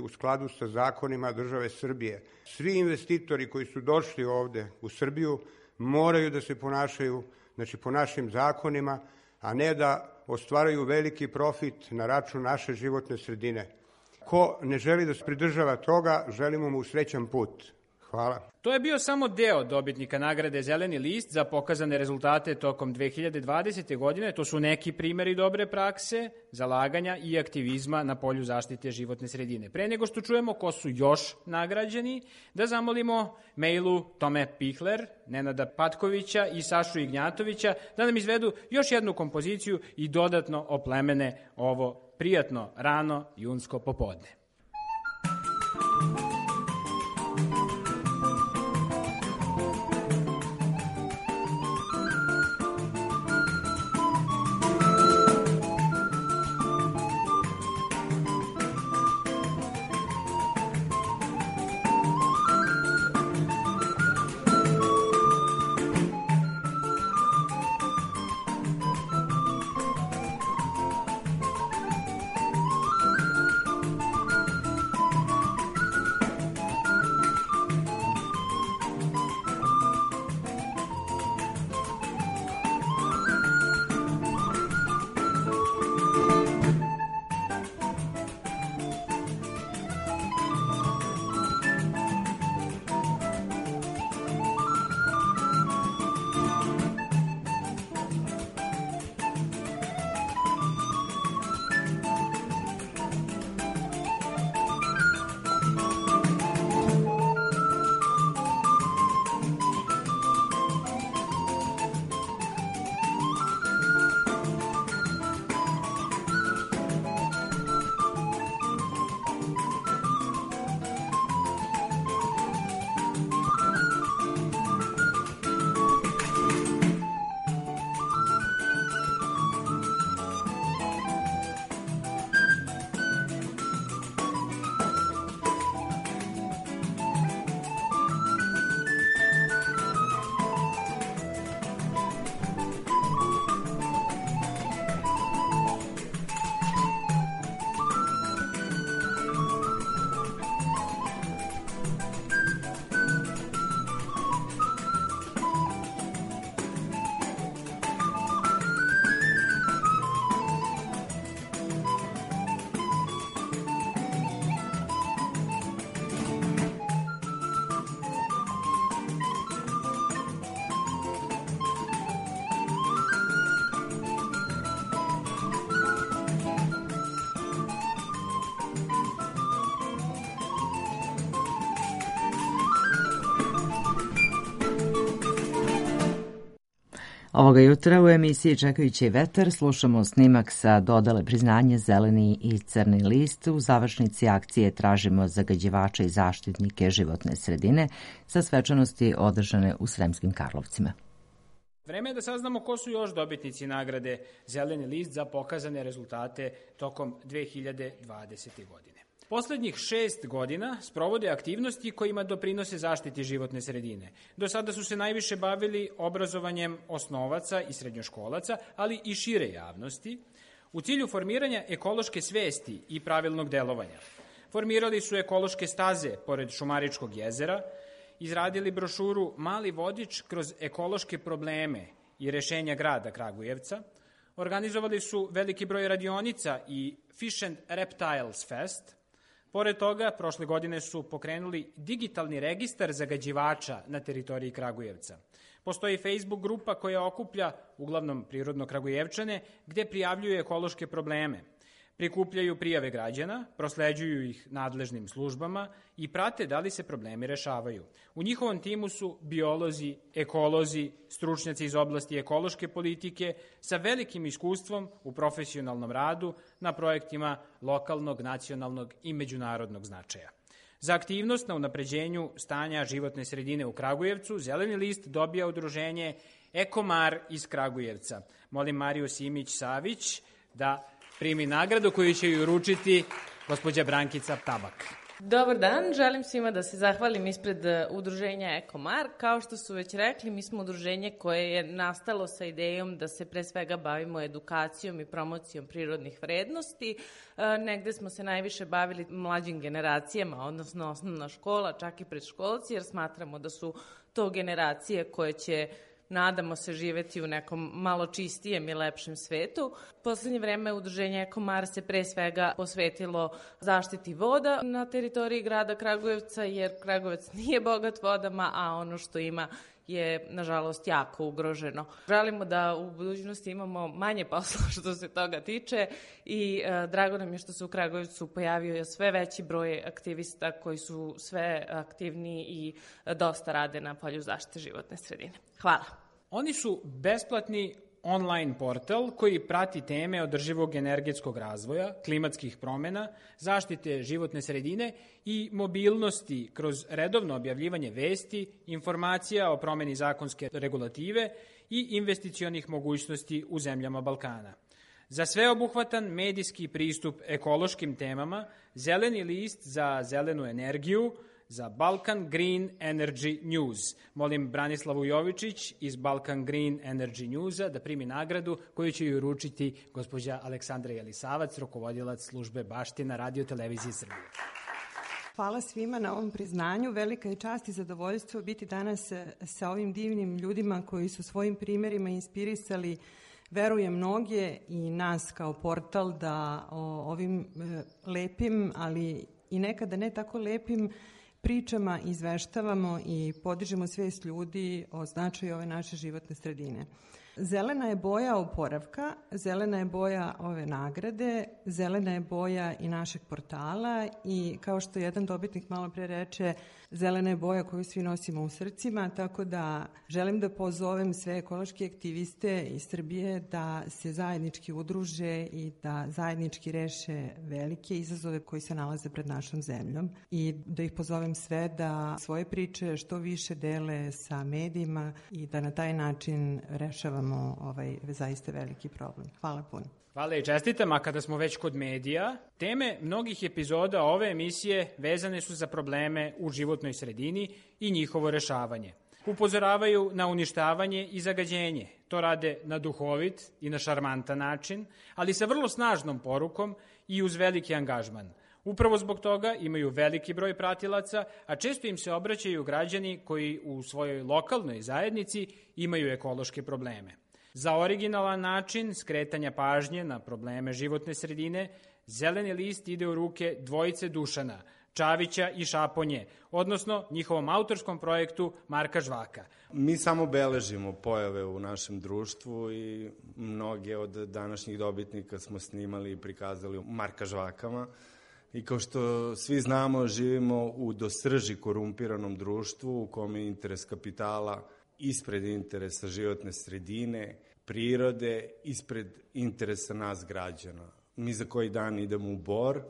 u skladu sa zakonima države Srbije. Svi investitori koji su došli ovde u Srbiju moraju da se ponašaju po našim zakonima, a ne da ostvaraju veliki profit na račun naše životne sredine. Ko ne želi da se pridržava toga, želimo mu srećan put. Hvala. To je bio samo deo dobitnika nagrade Zeleni list za pokazane rezultate tokom 2020. godine. To su neki primeri dobre prakse, zalaganja i aktivizma na polju zaštite životne sredine. Pre nego što čujemo ko su još nagrađeni, da zamolimo Mejlu Tome Pihler, Nenada Patkovića i Sašu Ignjatovića da nam izvedu još jednu kompoziciju i dodatno oplemene ovo prijatno rano junsko popodne. Ovoga jutra u emisiji Čekajući vetar slušamo snimak sa dodale priznanje Zeleni i Crni list. U završnici akcije tražimo zagađivače i zaštitnike životne sredine sa svečanosti održane u Sremskim Karlovcima. Vreme je da saznamo ko su još dobitnici nagrade Zeleni list za pokazane rezultate tokom 2020. godine. Poslednjih 6 godina sprovode aktivnosti kojima doprinose zaštiti životne sredine. Do sada su se najviše bavili obrazovanjem osnovaca i srednjoškolaca, ali i šire javnosti, u cilju formiranja ekološke svesti i pravilnog delovanja. Formirali su ekološke staze pored Šumaričkog jezera, izradili brošuru Mali vodič kroz ekološke probleme i rešenja grada Kragujevca, organizovali su veliki broj radionica i Fish and Reptiles Fest. Pored toga, prošle godine su pokrenuli digitalni registar zagađivača na teritoriji Kragujevca. Postoji Facebook grupa koja okuplja uglavnom prirodno Kragujevčane gde prijavljuju ekološke probleme. Prikupljaju prijave građana, prosleđuju ih nadležnim službama i prate da li se problemi rešavaju. U njihovom timu su biolozi, ekolozi, stručnjaci iz oblasti ekološke politike sa velikim iskustvom u profesionalnom radu na projektima lokalnog, nacionalnog i međunarodnog značaja. Za aktivnost na unapređenju stanja životne sredine u Kragujevcu Zeleni list dobija udruženje Ekomar iz Kragujevca. Molim Mariju Simić-Savić da primi nagradu koju će ju uručiti gospođa Brankica Tabak. Dobar dan, želim svima da se zahvalim ispred udruženja Ekomar. Kao što su već rekli, mi smo udruženje koje je nastalo sa idejom da se pre svega bavimo edukacijom i promocijom prirodnih vrednosti. Negde smo se najviše bavili mlađim generacijama, odnosno osnovna škola, čak i predškolci, jer smatramo da su to generacije koje će nadamo se živeti u nekom malo čistijem i lepšem svetu. Poslednje vreme udruženje Ekomar se pre svega posvetilo zaštiti voda na teritoriji grada Kragujevca, jer Kragujevac nije bogat vodama, a ono što ima je, nažalost, jako ugroženo. Želimo da u budućnosti imamo manje posla što se toga tiče i drago nam je što se u Kragujevcu pojavio sve veći broj aktivista koji su sve aktivniji i dosta rade na polju zaštite životne sredine. Hvala. Oni su besplatni online portal koji prati teme održivog energetskog razvoja, klimatskih promena, zaštite životne sredine i mobilnosti kroz redovno objavljivanje vesti, informacija o promeni zakonske regulative i investicionih mogućnosti u zemljama Balkana. Za sveobuhvatan medijski pristup ekološkim temama, Zeleni list za zelenu energiju, za Balkan Green Energy News. Molim Branislavu Jovičić iz Balkan Green Energy Newsa da primi nagradu koju će joj uručiti gospođa Aleksandra Jelisavac, rukovodilac službe Baština Radio Televizije Srbije. Hvala svima na ovom priznanju. Velika je čast i zadovoljstvo biti danas sa ovim divnim ljudima koji su svojim primerima inspirisali, verujem, mnoge i nas kao portal da o ovim lepim, ali i nekada ne tako lepim pričama izveštavamo i podižemo svest ljudi o značaju ove naše životne sredine. Zelena je boja oporavka, zelena je boja ove nagrade, zelena je boja i našeg portala i kao što jedan dobitnik malo pre reče, zelena je boja koju svi nosimo u srcima, tako da želim da pozovem sve ekološke aktiviste iz Srbije da se zajednički udruže i da zajednički reše velike izazove koji se nalaze pred našom zemljom i da ih pozovem sve da svoje priče što više dele sa medijima i da na taj način rešavamo ovaj zaista veliki problem. Hvala puno. Hvala i čestitam, a kada smo već kod medija, teme mnogih epizoda ove emisije vezane su za probleme u životnoj sredini i njihovo rešavanje. Upozoravaju na uništavanje i zagađenje. To rade na duhovit i na šarmantan način, ali sa vrlo snažnom porukom i uz veliki angažman. Upravo zbog toga imaju veliki broj pratilaca, a često im se obraćaju građani koji u svojoj lokalnoj zajednici imaju ekološke probleme. Za originalan način skretanja pažnje na probleme životne sredine, Zeleni list ide u ruke dvojice Dušana, Čavića i Šaponje, odnosno njihovom autorskom projektu Marka Žvaka. Mi samo beležimo pojave u našem društvu i mnoge od današnjih dobitnika smo snimali i prikazali u Marka Žvakama. I kao što svi znamo, živimo u do srži korumpiranom društvu u kome je interes kapitala ispred interesa životne sredine, prirode, ispred interesa nas građana. Mi za koji dan idemo u bor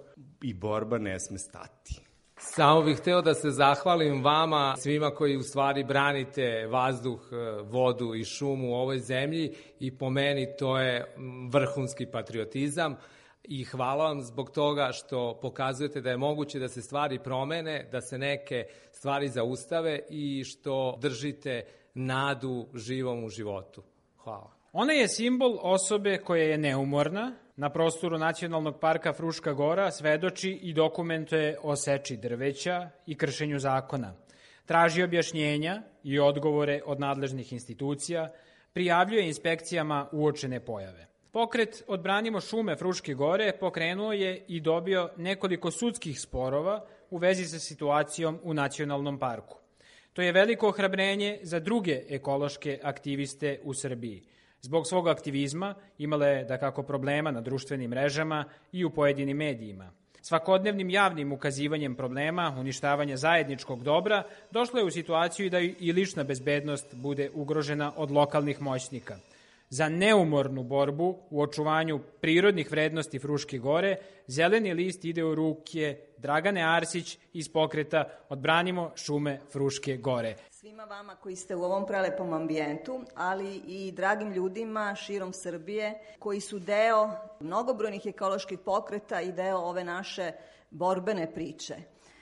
i borba ne sme stati. Samo bih hteo da se zahvalim vama, svima koji u stvari branite vazduh, vodu i šumu u ovoj zemlji i po meni to je vrhunski patriotizam. I hvala vam zbog toga što pokazujete da je moguće da se stvari promene, da se neke stvari zaustave i što držite nadu živom u životu. Hvala. Ona je simbol osobe koja je neumorna. Na prostoru Nacionalnog parka Fruška Gora svedoči i dokumentuje o seči drveća i kršenju zakona. Traži objašnjenja i odgovore od nadležnih institucija, prijavljuje inspekcijama uočene pojave. Pokret Odbranimo šume Fruške Gore pokrenuo je i dobio nekoliko sudskih sporova u vezi sa situacijom u nacionalnom parku. To je veliko ohrabrenje za druge ekološke aktiviste u Srbiji. Zbog svog aktivizma imala je dakako problema na društvenim mrežama i u pojedinim medijima. Svakodnevnim javnim ukazivanjem problema, uništavanja zajedničkog dobra, došlo je u situaciju da i lična bezbednost bude ugrožena od lokalnih moćnika. Za neumornu borbu u očuvanju prirodnih vrednosti Fruške Gore, Zeleni list ide u ruke Dragane Arsić iz pokreta Odbranimo šume Fruške Gore. Svima vama koji ste u ovom prelepom ambijentu, ali i dragim ljudima širom Srbije koji su deo mnogobrojnih ekoloških pokreta i deo ove naše borbene priče.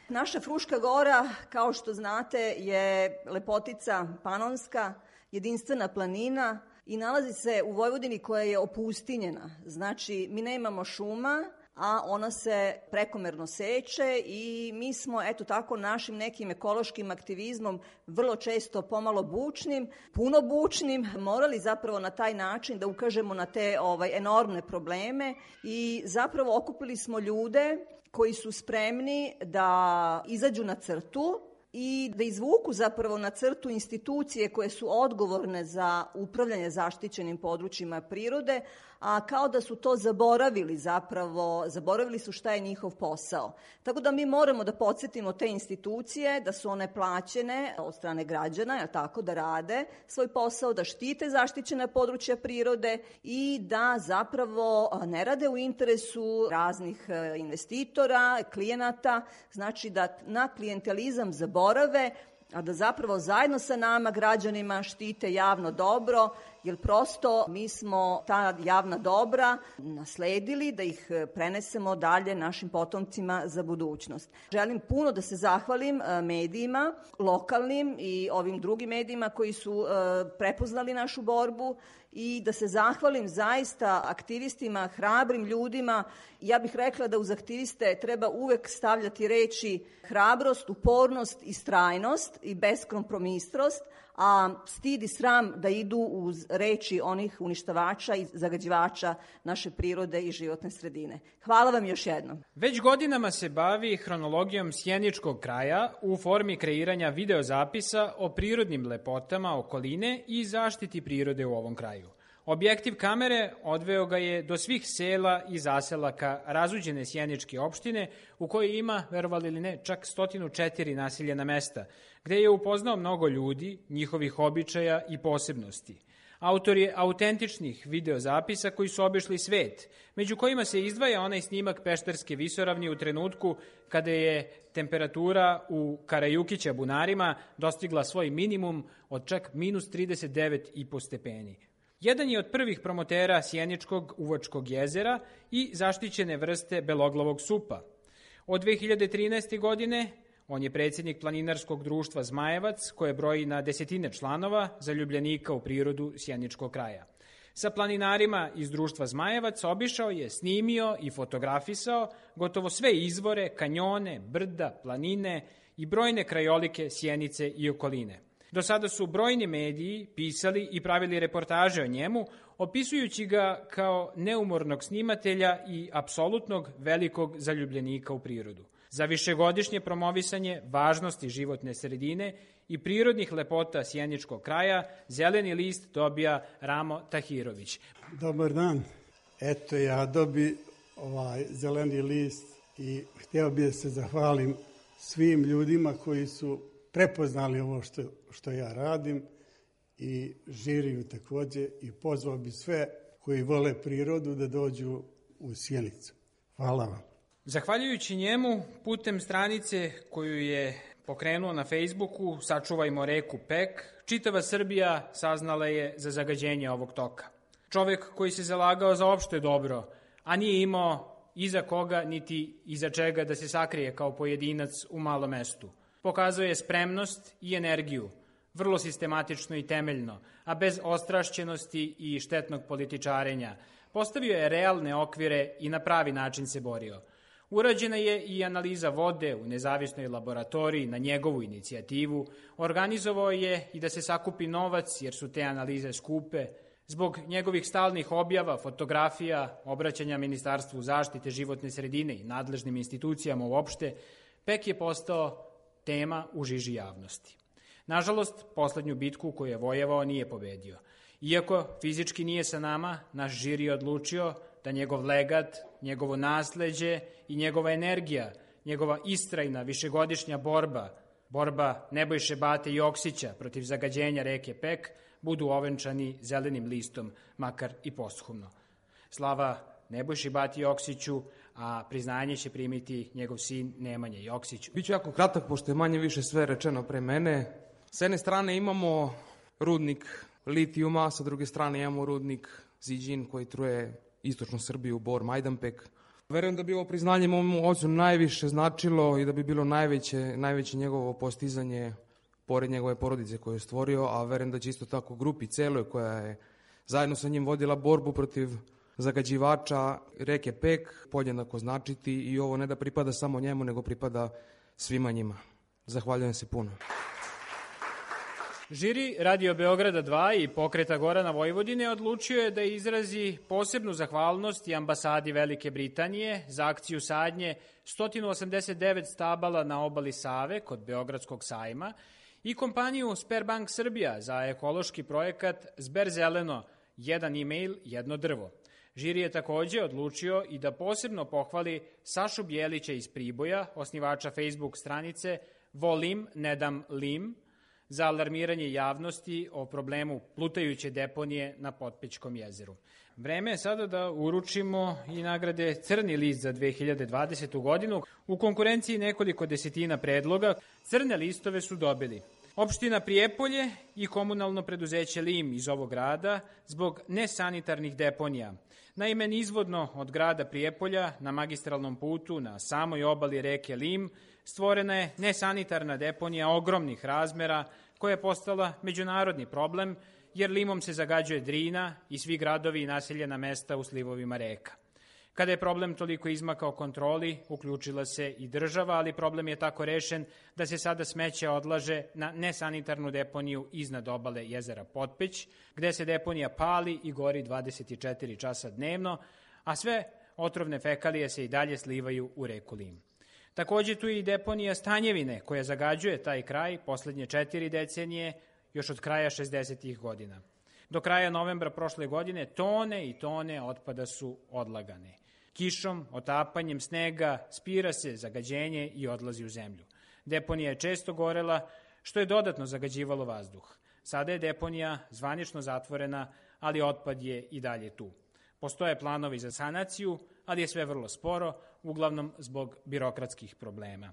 Naša Fruška Gora, kao što znate, je lepotica panonska, jedinstvena planina i nalazi se u Vojvodini koja je opustinjena. Znači, mi nemamo šuma, a ona se prekomerno seče i mi smo, eto tako, našim nekim ekološkim aktivizmom, vrlo često pomalo bučnim, puno bučnim, morali zapravo na taj način da ukažemo na te enormne probleme i zapravo okupili smo ljude koji su spremni da izađu na crtu i da izvuku zapravo na crtu institucije koje su odgovorne za upravljanje zaštićenim područjima prirode, a kao da su to zaboravili zapravo, zaboravili su šta je njihov posao. Tako da mi moramo da podsjetimo te institucije da su one plaćene od strane građana, je tako, da rade svoj posao, da štite zaštićena područja prirode i da zapravo ne rade u interesu raznih investitora, klijenata, znači da na klijentelizam zaborave, a da zapravo zajedno sa nama, građanima, štite javno dobro, jer prosto mi smo ta javna dobra nasledili da ih prenesemo dalje našim potomcima za budućnost. Želim puno da se zahvalim medijima, lokalnim i ovim drugim medijima koji su prepoznali našu borbu i da se zahvalim zaista aktivistima, hrabrim ljudima. Ja bih rekla da uz aktiviste treba uvek stavljati reči hrabrost, upornost, istrajnost i beskompromisnost, a stid i sram da idu uz reči onih uništavača i zagađivača naše prirode i životne sredine. Hvala vam još jednom. Već godinama se bavi hronologijom sjeničkog kraja u formi kreiranja videozapisa o prirodnim lepotama okoline i zaštiti prirode u ovom kraju. Objektiv kamere odveo ga je do svih sela i zaselaka razuđene sjeničke opštine u kojoj ima, verovali ili ne, čak 104 naseljena mesta, gde je upoznao mnogo ljudi, njihovih običaja i posebnosti. Autor je autentičnih videozapisa koji su obišli svet, među kojima se izdvaja onaj snimak Pešterske visoravni u trenutku kada je temperatura u Karajukića bunarima dostigla svoj minimum od čak minus 39,5 stepeni. Jedan je od prvih promotera sjeničkog uvačkog jezera i zaštićene vrste beloglavog supa. Od 2013. godine on je predsjednik planinarskog društva Zmajevac, koje broji na desetine članova zaljubljenika u prirodu sjeničkog kraja. Sa planinarima iz društva Zmajevac obišao je, snimio i fotografisao gotovo sve izvore, kanjone, brda, planine i brojne krajolike Sjenice i okoline. Do sada su brojni mediji pisali i pravili reportaže o njemu, opisujući ga kao neumornog snimatelja i apsolutnog velikog zaljubljenika u prirodu. Za višegodišnje promovisanje važnosti životne sredine i prirodnih lepota sjeničkog kraja zeleni list dobija Ramo Tahirović. Dobar dan. Eto, ja dobi zeleni list i htio bih da se zahvalim svim ljudima koji su prepoznali ovo što ja radim i žiriju takođe i pozvao bi sve koji vole prirodu da dođu u Sjenicu. Hvala vam. Zahvaljujući njemu, putem stranice koju je pokrenuo na Facebooku Sačuvajmo reku Pek, čitava Srbija saznala je za zagađenje ovog toka. Čovek koji se zalagao za opšte dobro, a nije imao iza koga niti iza čega da se sakrije kao pojedinac u malom mestu. Pokazuje je spremnost i energiju, vrlo sistematično i temeljno, a bez ostrašćenosti i štetnog političarenja. Postavio je realne okvire i na pravi način se borio. Urađena je i analiza vode u nezavisnoj laboratoriji na njegovu inicijativu, organizovao je i da se sakupi novac jer su te analize skupe. Zbog njegovih stalnih objava, fotografija, obraćanja Ministarstvu zaštite životne sredine i nadležnim institucijama uopšte, Pek je postao tema u žiži javnosti. Nažalost, poslednju bitku koju je vojevao nije pobedio. Iako fizički nije sa nama, naš žiri je odlučio da njegov legat, njegovo nasleđe i njegova energija, njegova istrajna višegodišnja borba Nebojše Bate Joksića protiv zagađenja reke Pek, budu ovenčani zelenim listom, makar i posthumno. Slava Nebojši Bati Joksiću, a priznanje će primiti njegov sin Nemanja Joksić. Biću jako kratak, pošto je manje više sve rečeno pre mene. S jedne strane imamo rudnik litijuma, sa druge strane imamo rudnik Ziđin koji truje istočnu Srbiju, Bor, Majdanpek. Verujem da bi ovo priznanje mom ocu najviše značilo i da bi bilo najveće njegovo postizanje pored njegove porodice koju je stvorio, a verujem da će isto tako grupi celoj koja je zajedno sa njim vodila borbu protiv zagađivača reke Pek podjednako značiti i ovo ne da pripada samo njemu, nego pripada svima njima. Zahvaljujem se puno. Žiri Radio Beograda 2 i Pokreta Gorana Vojvodine odlučio je da izrazi posebnu zahvalnost i ambasadi Velike Britanije za akciju sadnje 189 stabala na obali Save kod Beogradskog sajma i kompaniju Sberbank Srbija za ekološki projekat Zber zeleno, jedan e-mail, jedno drvo. Žiri je takođe odlučio i da posebno pohvali Sašu Bjelića iz Priboja, osnivača Facebook stranice Volim, ne dam lim, za alarmiranje javnosti o problemu plutajuće deponije na Potpećkom jezeru. Vreme je sada da uručimo i nagrade Crni list za 2020. godinu. U konkurenciji nekoliko desetina predloga. Crne listove su dobili opština Prijepolje i komunalno preduzeće Lim iz ovog grada zbog nesanitarnih deponija. Naime, nizvodno od grada Prijepolja na magistralnom putu na samoj obali reke Lim stvorena je nesanitarna deponija ogromnih razmera koja je postala međunarodni problem jer Limom se zagađuje Drina i svi gradovi i naseljena mesta u slivovima reka. Kada je problem toliko izmakao kontroli, uključila se i država, ali problem je tako rešen da se sada smeće odlaže na nesanitarnu deponiju iznad obale jezera Potpeć, gde se deponija pali i gori 24 časa dnevno, a sve otrovne fekalije se i dalje slivaju u reku Lim. Takođe tu je i deponija Stanjevine koja zagađuje taj kraj poslednje 4 decenije, još od kraja 60. godina. Do kraja novembra prošle godine tone i tone otpada su odlagane. Kišom, otapanjem snega spira se zagađenje i odlazi u zemlju. Deponija je često gorela, što je dodatno zagađivalo vazduh. Sada je deponija zvanično zatvorena, ali otpad je i dalje tu. Postoje planovi za sanaciju, ali je sve vrlo sporo, uglavnom zbog birokratskih problema.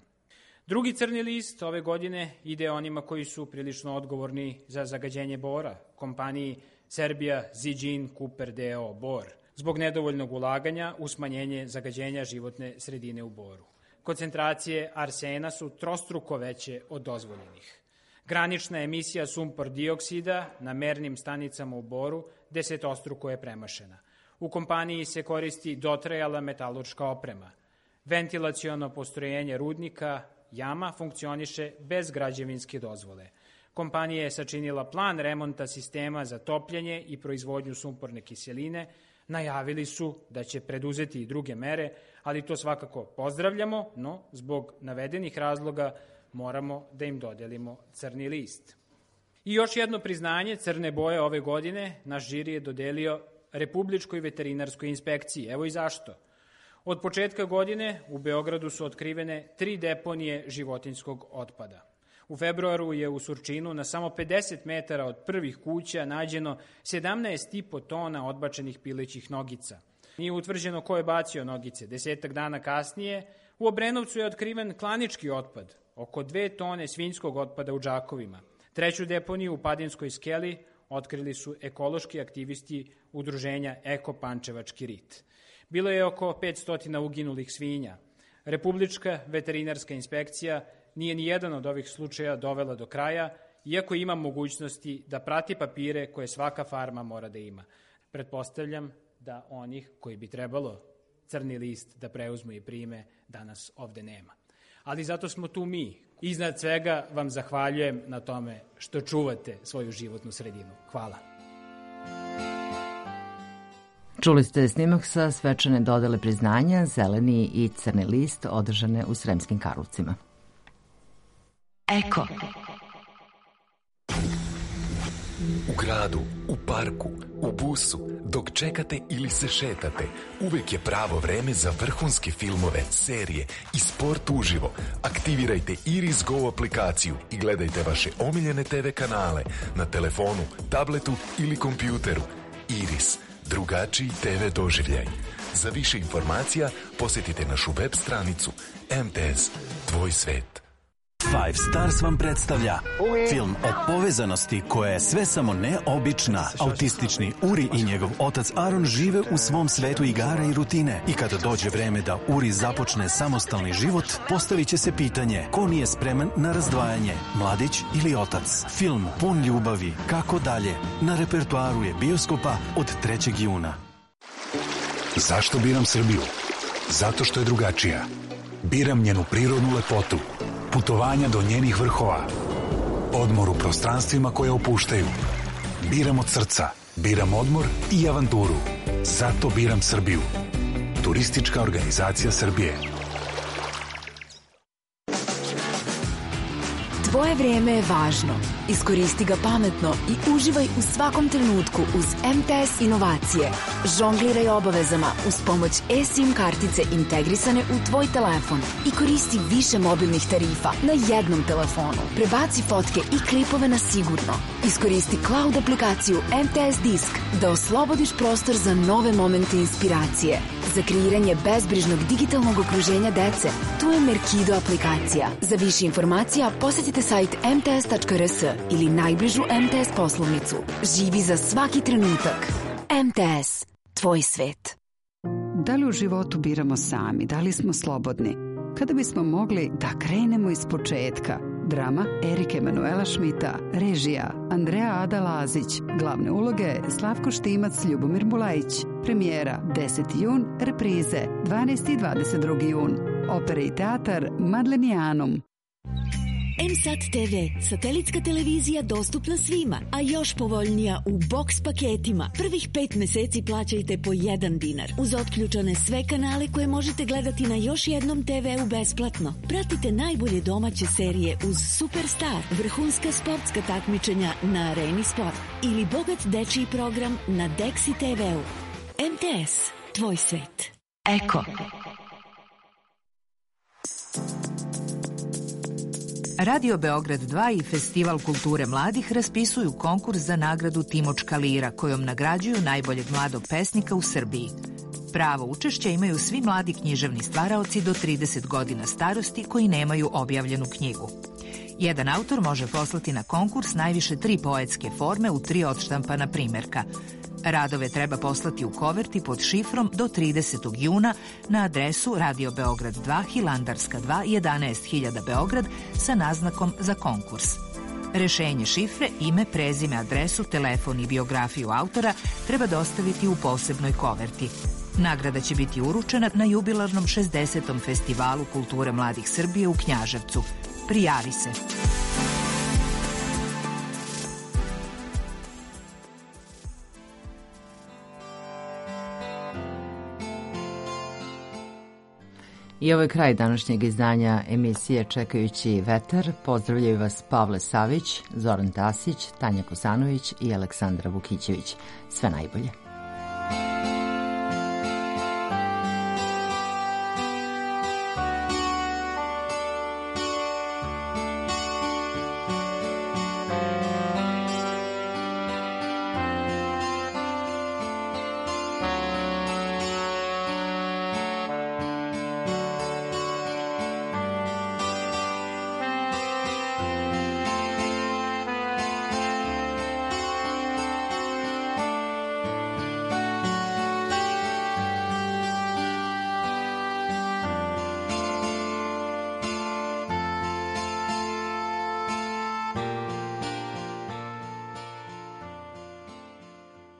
Drugi crni list ove godine ide onima koji su prilično odgovorni za zagađenje bora, kompaniji Serbia Zijin Cooper DO Bor, zbog nedovoljnog ulaganja u smanjenje zagađenja životne sredine u Boru. Koncentracije arsena su trostruko veće od dozvoljenih. Granična emisija sumpor dioksida na mernim stanicama u Boru desetostruko je premašena. U kompaniji se koristi dotrajala metalurška oprema. Ventilaciono postrojenje rudnika Jama funkcioniše bez građevinske dozvole. Kompanija je sačinila plan remonta sistema za topljenje i proizvodnju sumporne kiseline. Najavili su da će preduzeti i druge mere, ali to svakako pozdravljamo, no zbog navedenih razloga moramo da im dodelimo crni list. I još jedno priznanje crne boje ove godine naš žiri je dodelio Republičkoj veterinarskoj inspekciji. Evo i zašto. Od početka godine u Beogradu su otkrivene 3 deponije životinjskog otpada. U februaru je u Surčinu na samo 50 metara od prvih kuća nađeno 17,5 tona odbačenih pilećih nogica. Nije utvrđeno ko je bacio nogice. 10 dana kasnije u Obrenovcu je otkriven klanički otpad, oko 2 tone svinjskog otpada u Đakovima. 3. deponiju u Padinskoj skeli otkrili su ekološki aktivisti udruženja Eko Pančevački rit. Bilo je oko 500 uginulih svinja. Republička veterinarska inspekcija nije ni jedan od ovih slučaja dovela do kraja, iako ima mogućnosti da prati papire koje svaka farma mora da ima. Pretpostavljam da onih koji bi trebalo crni list da preuzmu i prime danas ovde nema. Ali zato smo tu mi. Iznad svega vam zahvaljujem na tome što čuvate svoju životnu sredinu. Hvala. Čuli ste snimak sa svečane dodele priznanja Zeleni i Crni list održane u Sremskim Karlovcima. Eko. U gradu, u parku, u busu, dok čekate ili se šetate, uvek je pravo vreme za vrhunske filmove, serije i sport uživo. Aktivirajte Iris Go aplikaciju i gledajte vaše omiljene TV kanale na telefonu, tabletu ili kompjuteru. Iris, drugačiji TV doživljaj. Za više informacija posjetite našu web stranicu MTS, tvoj svet. Five Stars vam predstavlja film o povezanosti koja je sve samo neobična. Autistični Uri i njegov otac Aron žive u svom svetu igara i rutine. I kada dođe vreme da Uri započne samostalni život, postavit će se pitanje ko nije spreman na razdvajanje, mladić ili otac. Film pun ljubavi, kako dalje, na repertoaru je bioskopa od 3. juna. Zašto biram Srbiju? Zato što je drugačija. Biram njenu prirodnu lepotu, putovanja do njenih vrhova, odmor u prostranstvima koje opuštaju. Biram od srca, biram odmor i avanturu. Zato biram Srbiju. Turistička organizacija Srbije. Tvoje vrijeme je važno. Iskoristi ga pametno i uživaj u svakom trenutku uz MTS inovacije. Žongliraj obavezama uz pomoć eSIM kartice integrisane u tvoj telefon i koristi više mobilnih tarifa na jednom telefonu. Prebaci fotke i klipove na sigurno. Iskoristi cloud aplikaciju MTS Disk da oslobodiš prostor za nove momente inspiracije. Za kreiranje bezbrižnog digitalnog okruženja dece, tu je Merkido aplikacija. Za više informacija posjetite sajt mts.rs ili najbližu MTS poslovnicu. Živi za svaki trenutak. MTS. Tvoj svet. Da li u životu biramo sami? Da li smo slobodni? Kada bismo mogli da krenemo iz početka? Drama Erike Emanuela Šmita, režija Andreja Ada Lazić, glavne uloge Slavko Štimac, Ljubomir Bulajić, premijera 10. jun, reprize 12. i 22. jun, opera i teatar Madlenijanum. MSAT TV, satelitska televizija dostupna svima, a još povoljnija u box paketima. Prvih 5 meseci plaćajte po 1 dinar. Uz otključane sve kanale koje možete gledati na još jednom TV-u besplatno. Pratite najbolje domaće serije uz Superstar, vrhunska sportska takmičenja na Areni Sport ili bogat dečiji program na Dexi TV-u. MTS, tvoj svet. Eko. Radio Beograd 2 i Festival kulture mladih raspisuju konkurs za nagradu Timočka lira, kojom nagrađuju najboljeg mladog pesnika u Srbiji. Pravo učešća imaju svi mladi književni stvaraoci do 30 godina starosti koji nemaju objavljenu knjigu. Jedan autor može poslati na konkurs najviše 3 poetske forme u 3 odštampana primerka. Radove treba poslati u koverti pod šifrom do 30. juna na adresu Radio Beograd 2, Hilandarska 2, 11.000 Beograd sa naznakom za konkurs. Rešenje šifre, ime, prezime, adresu, telefon i biografiju autora treba dostaviti u posebnoj koverti. Nagrada će biti uručena na jubilarnom 60. Festivalu kulture mladih Srbije u Knjaževcu. Prijavi se! I ovo je kraj današnjeg izdanja emisije Čekajući vetar. Pozdravljaju vas Pavle Savić, Zoran Tasić, Tanja Kosanović i Aleksandra Vukićević. Sve najbolje.